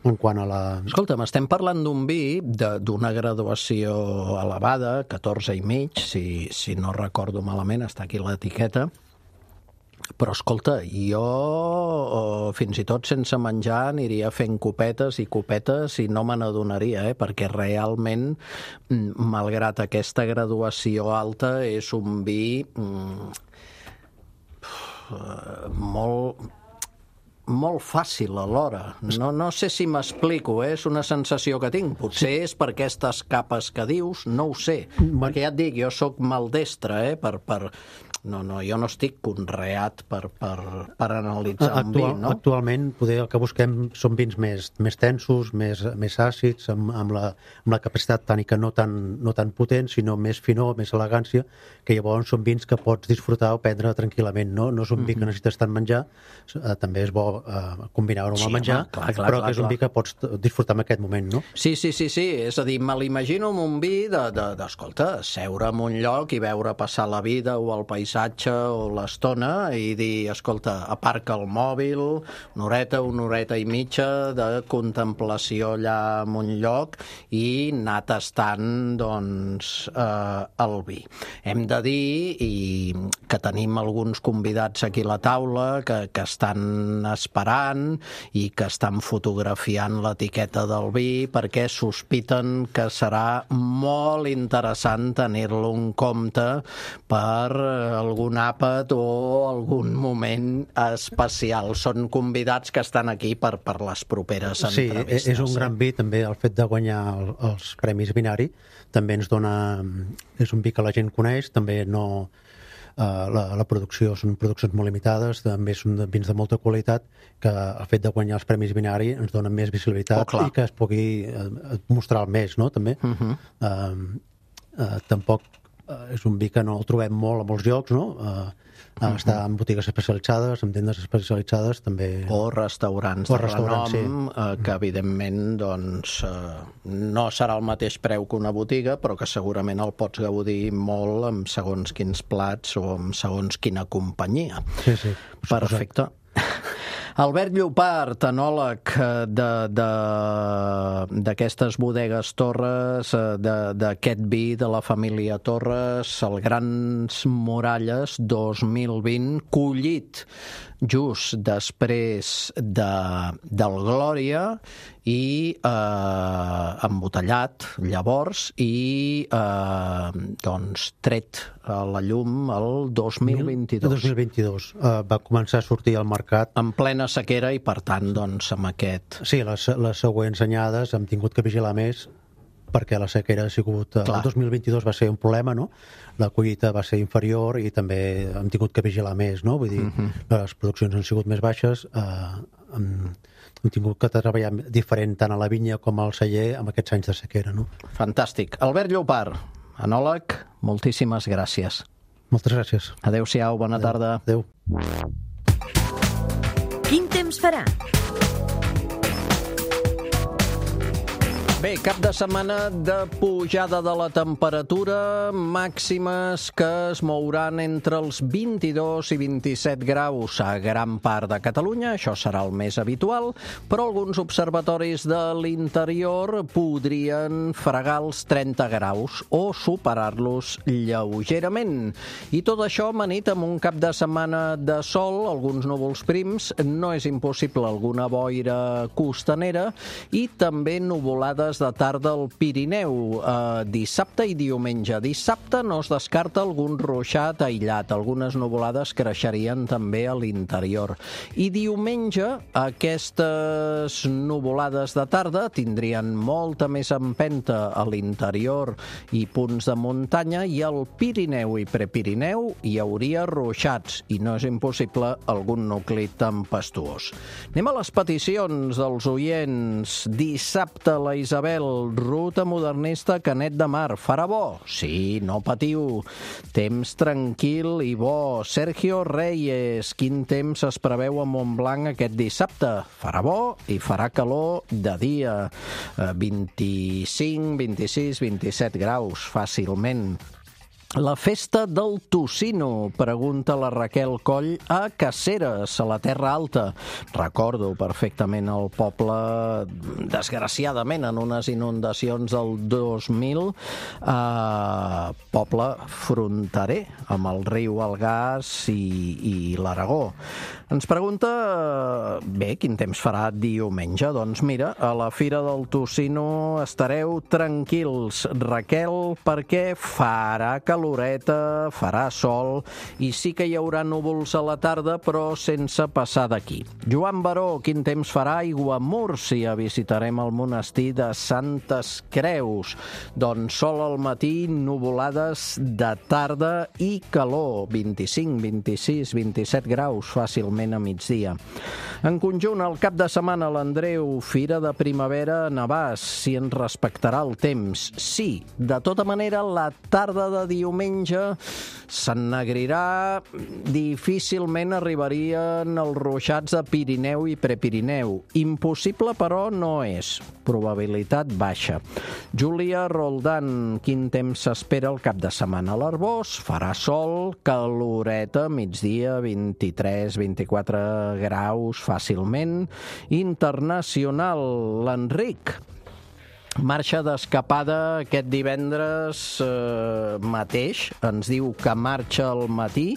en quant a la... Escolta'm, estem parlant d'un vi d'una graduació elevada, catorze i mig, si, si no recordo malament, està aquí l'etiqueta, però escolta, jo fins i tot sense menjar aniria fent copetes i copetes i no me n'adonaria, eh? Perquè realment, malgrat aquesta graduació alta, és un vi mm, molt... molt fàcil alhora. No, no sé si m'explico, eh? És una sensació que tinc. Potser és per aquestes capes que dius, no ho sé. Perquè ja et dic, jo sóc maldestre, eh? Per, per... No, no, jo no estic conreat per, per, per analitzar un vi, no? Actualment, poder, el que busquem són vins més, més tensos, més, més àcids, amb, amb, la, amb la capacitat tànica no tan, no tan potent, sinó més finor, més elegància, que llavors són vins que pots disfrutar o prendre tranquil·lament, no? No és un vi que necessites tant menjar, eh, també és bo eh, combinar-ho amb el menjar, sí, clar, clar, però clar, que és un vi que pots disfrutar en aquest moment, no? Sí, sí, sí, sí. És a dir, me l'imagino amb un vi de, de, d'escolta, seure en un lloc i veure passar la vida o el paisatge o l'estona i dir, escolta, aparca el mòbil, una horeta, una horeta i mitja de contemplació allà en un lloc i anar tastant, doncs, eh, el vi. Hem de dir i que tenim alguns convidats aquí a la taula que, que estan esperant i que estan fotografiant l'etiqueta del vi perquè sospiten que serà molt interessant tenir-lo en compte per algun àpat o algun moment especial. Són convidats que estan aquí per, per les properes entrevistes. Sí, és un gran vi, també, el fet de guanyar el, els Premis Vinari, també ens dona... És un vi que la gent coneix, també no... la, la producció són produccions molt limitades, també són de vins de molta qualitat, que el fet de guanyar els Premis Vinari ens dona més visibilitat oh, i que es pugui mostrar més, no?, també. Uh-huh. uh, uh, tampoc uh, és un vi que no el trobem molt a molts llocs, no?, uh, Uh, està en botigues especialitzades, en tendes especialitzades també. O restaurants o de restaurants, renom, sí. eh, que evidentment doncs, eh, no serà el mateix preu que una botiga, però que segurament el pots gaudir molt amb segons quins plats o amb segons quina companyia. Sí, sí. Perfecte. Albert Llopart, enòleg d'aquestes bodegues Torres, d'aquest vi de la família Torres, el Grans Muralles dos mil vint, collit just després de, del Glòria i eh, embotellat llavors i eh, doncs tret a la llum el dos mil vint-i-dos. dos mil vint-i-dos. Uh, va començar a sortir al mercat en plena sequera i per tant doncs amb aquest... Sí, les, les següents anyades hem tingut que vigilar més perquè la sequera ha sigut... Clar. El dos mil vint-i-dos va ser un problema, no? La collita va ser inferior i també hem tingut que vigilar més, no? Vull dir, uh-huh. les produccions han sigut més baixes, eh, hem, hem tingut que treballar diferent tant a la vinya com al celler amb aquests anys de sequera, no? Fantàstic. Albert Llopart, enòleg, moltíssimes gràcies. Moltes gràcies. Adéu-siau, bona Adéu. tarda. Adéu. Quin temps farà? Bé, cap de setmana de pujada de la temperatura, màximes que es mouran entre els vint-i-dos i vint-i-set graus a gran part de Catalunya, això serà el més habitual, però alguns observatoris de l'interior podrien fregar els trenta graus o superar-los lleugerament. I tot això amanit amb un cap de setmana de sol, alguns núvols prims, no és impossible alguna boira costanera i també nuvolades de tarda al Pirineu, eh, dissabte i diumenge. Dissabte no es descarta algun ruixat aïllat, algunes nuvolades creixerien també a l'interior. I diumenge aquestes nuvolades de tarda tindrien molta més empenta a l'interior i punts de muntanya, i al Pirineu i Prepirineu hi hauria ruixats i no és impossible algun nucli tempestuós. Anem a les peticions dels oients. Dissabte la Isabel, ruta modernista Canet de Mar. Farà bo? Sí, no patiu. Temps tranquil i bo. Sergio Reyes, quin temps es preveu a Montblanc aquest dissabte? Farà bo i farà calor de dia. vint-i-cinc, vint-i-sis, vint-i-set graus, fàcilment. La festa del tocino, pregunta la Raquel Coll, a Caceres, a la Terra Alta. Recordo perfectament el poble, desgraciadament, en unes inundacions del dos mil, eh, poble fronterer amb el riu Algars i, i l'Aragó. Ens pregunta, bé, quin temps farà diumenge? Doncs mira, a la Fira del Tocino estareu tranquils, Raquel, perquè farà caloreta, farà sol, i sí que hi haurà núvols a la tarda, però sense passar d'aquí. Joan Baró, quin temps farà a Aiguamúrcia? Visitarem el monestir de Santes Creus. Doncs sol al matí, nuvolades de tarda i calor, vint-i-cinc, vint-i-sis, vint-i-set graus, fàcilment a migdia. En conjunt, el cap de setmana, l'Andreu, Fira de Primavera a Navàs, si ens respectarà el temps. Sí, de tota manera, la tarda de diumenge s'ennegrirà, difícilment arribarien els ruixats de Pirineu i Prepirineu. Impossible, però, no és. Probabilitat baixa. Júlia Roldán, quin temps s'espera el cap de setmana a l'Arbós? Farà sol, caloreta, migdia, vint-i-tres, vint-i-quatre graus, fàcilment. Internacional, l'Enric. Marxa d'escapada aquest divendres eh, mateix. Ens diu que marxa al matí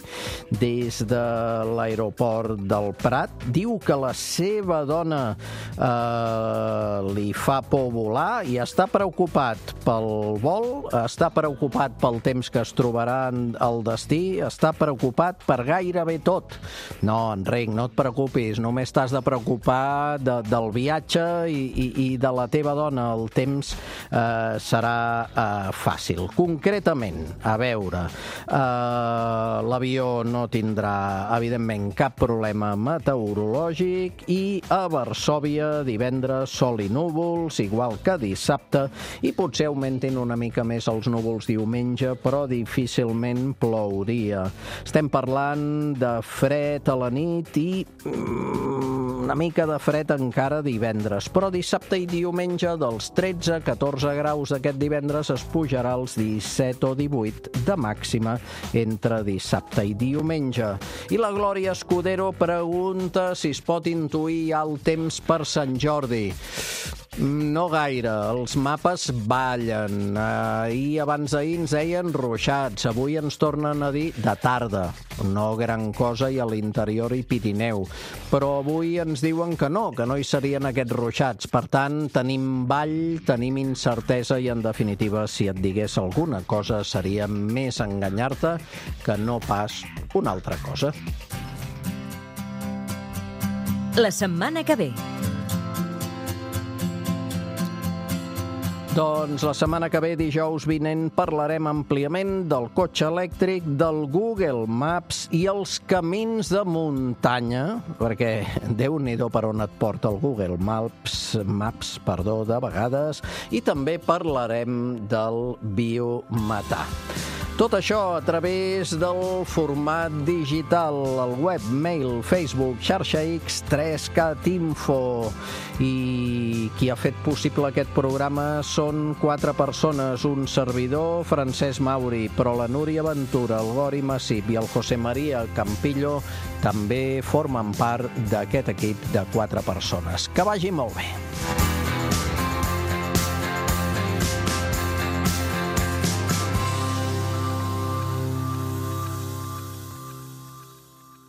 des de l'aeroport del Prat. Diu que la seva dona eh, li fa por volar i està preocupat pel vol, està preocupat pel temps que es trobarà al destí, està preocupat per gairebé tot. No, Enric, no et preocupis, només t'has de preocupar de, del viatge i, i, i de la teva dona. El temps temps eh, serà eh, fàcil. Concretament, a veure, eh, l'avió no tindrà, evidentment, cap problema meteorològic i a Varsòvia divendres sol i núvols, igual que dissabte, i potser augmentin una mica més els núvols diumenge, però difícilment plouria. Estem parlant de fred a la nit i mm, una mica de fred encara divendres, però dissabte i diumenge dels tretze a catorze graus aquest divendres es pujarà als disset o divuit de màxima entre dissabte i diumenge. I la Glòria Escudero pregunta si es pot intuir el temps per Sant Jordi. No gaire, els mapes ballen. Ahir, abans d'ahir, ens deien ruixats. Avui ens tornen a dir de tarda. No gran cosa i a l'interior i Pirineu. Però avui ens diuen que no, que no hi serien aquests ruixats. Per tant, tenim ball, tenim incertesa i, en definitiva, si et digués alguna cosa, seria més enganyar-te que no pas una altra cosa. La setmana que ve. Doncs la setmana que ve, dijous vinent, parlarem àmpliament del cotxe elèctric, del Google Maps i els camins de muntanya, perquè Déu-n'hi-do per on et porta el Google Maps, Maps, perdó, de vegades, i també parlarem del biometà. Tot això a través del format digital, el web, mail, Facebook, xarxa X, tres cat info. I qui ha fet possible aquest programa són quatre persones, un servidor, Francesc Mauri, però la Núria Ventura, el Gori Massip i el José María Campillo també formen part d'aquest equip de quatre persones. Que vagi molt bé.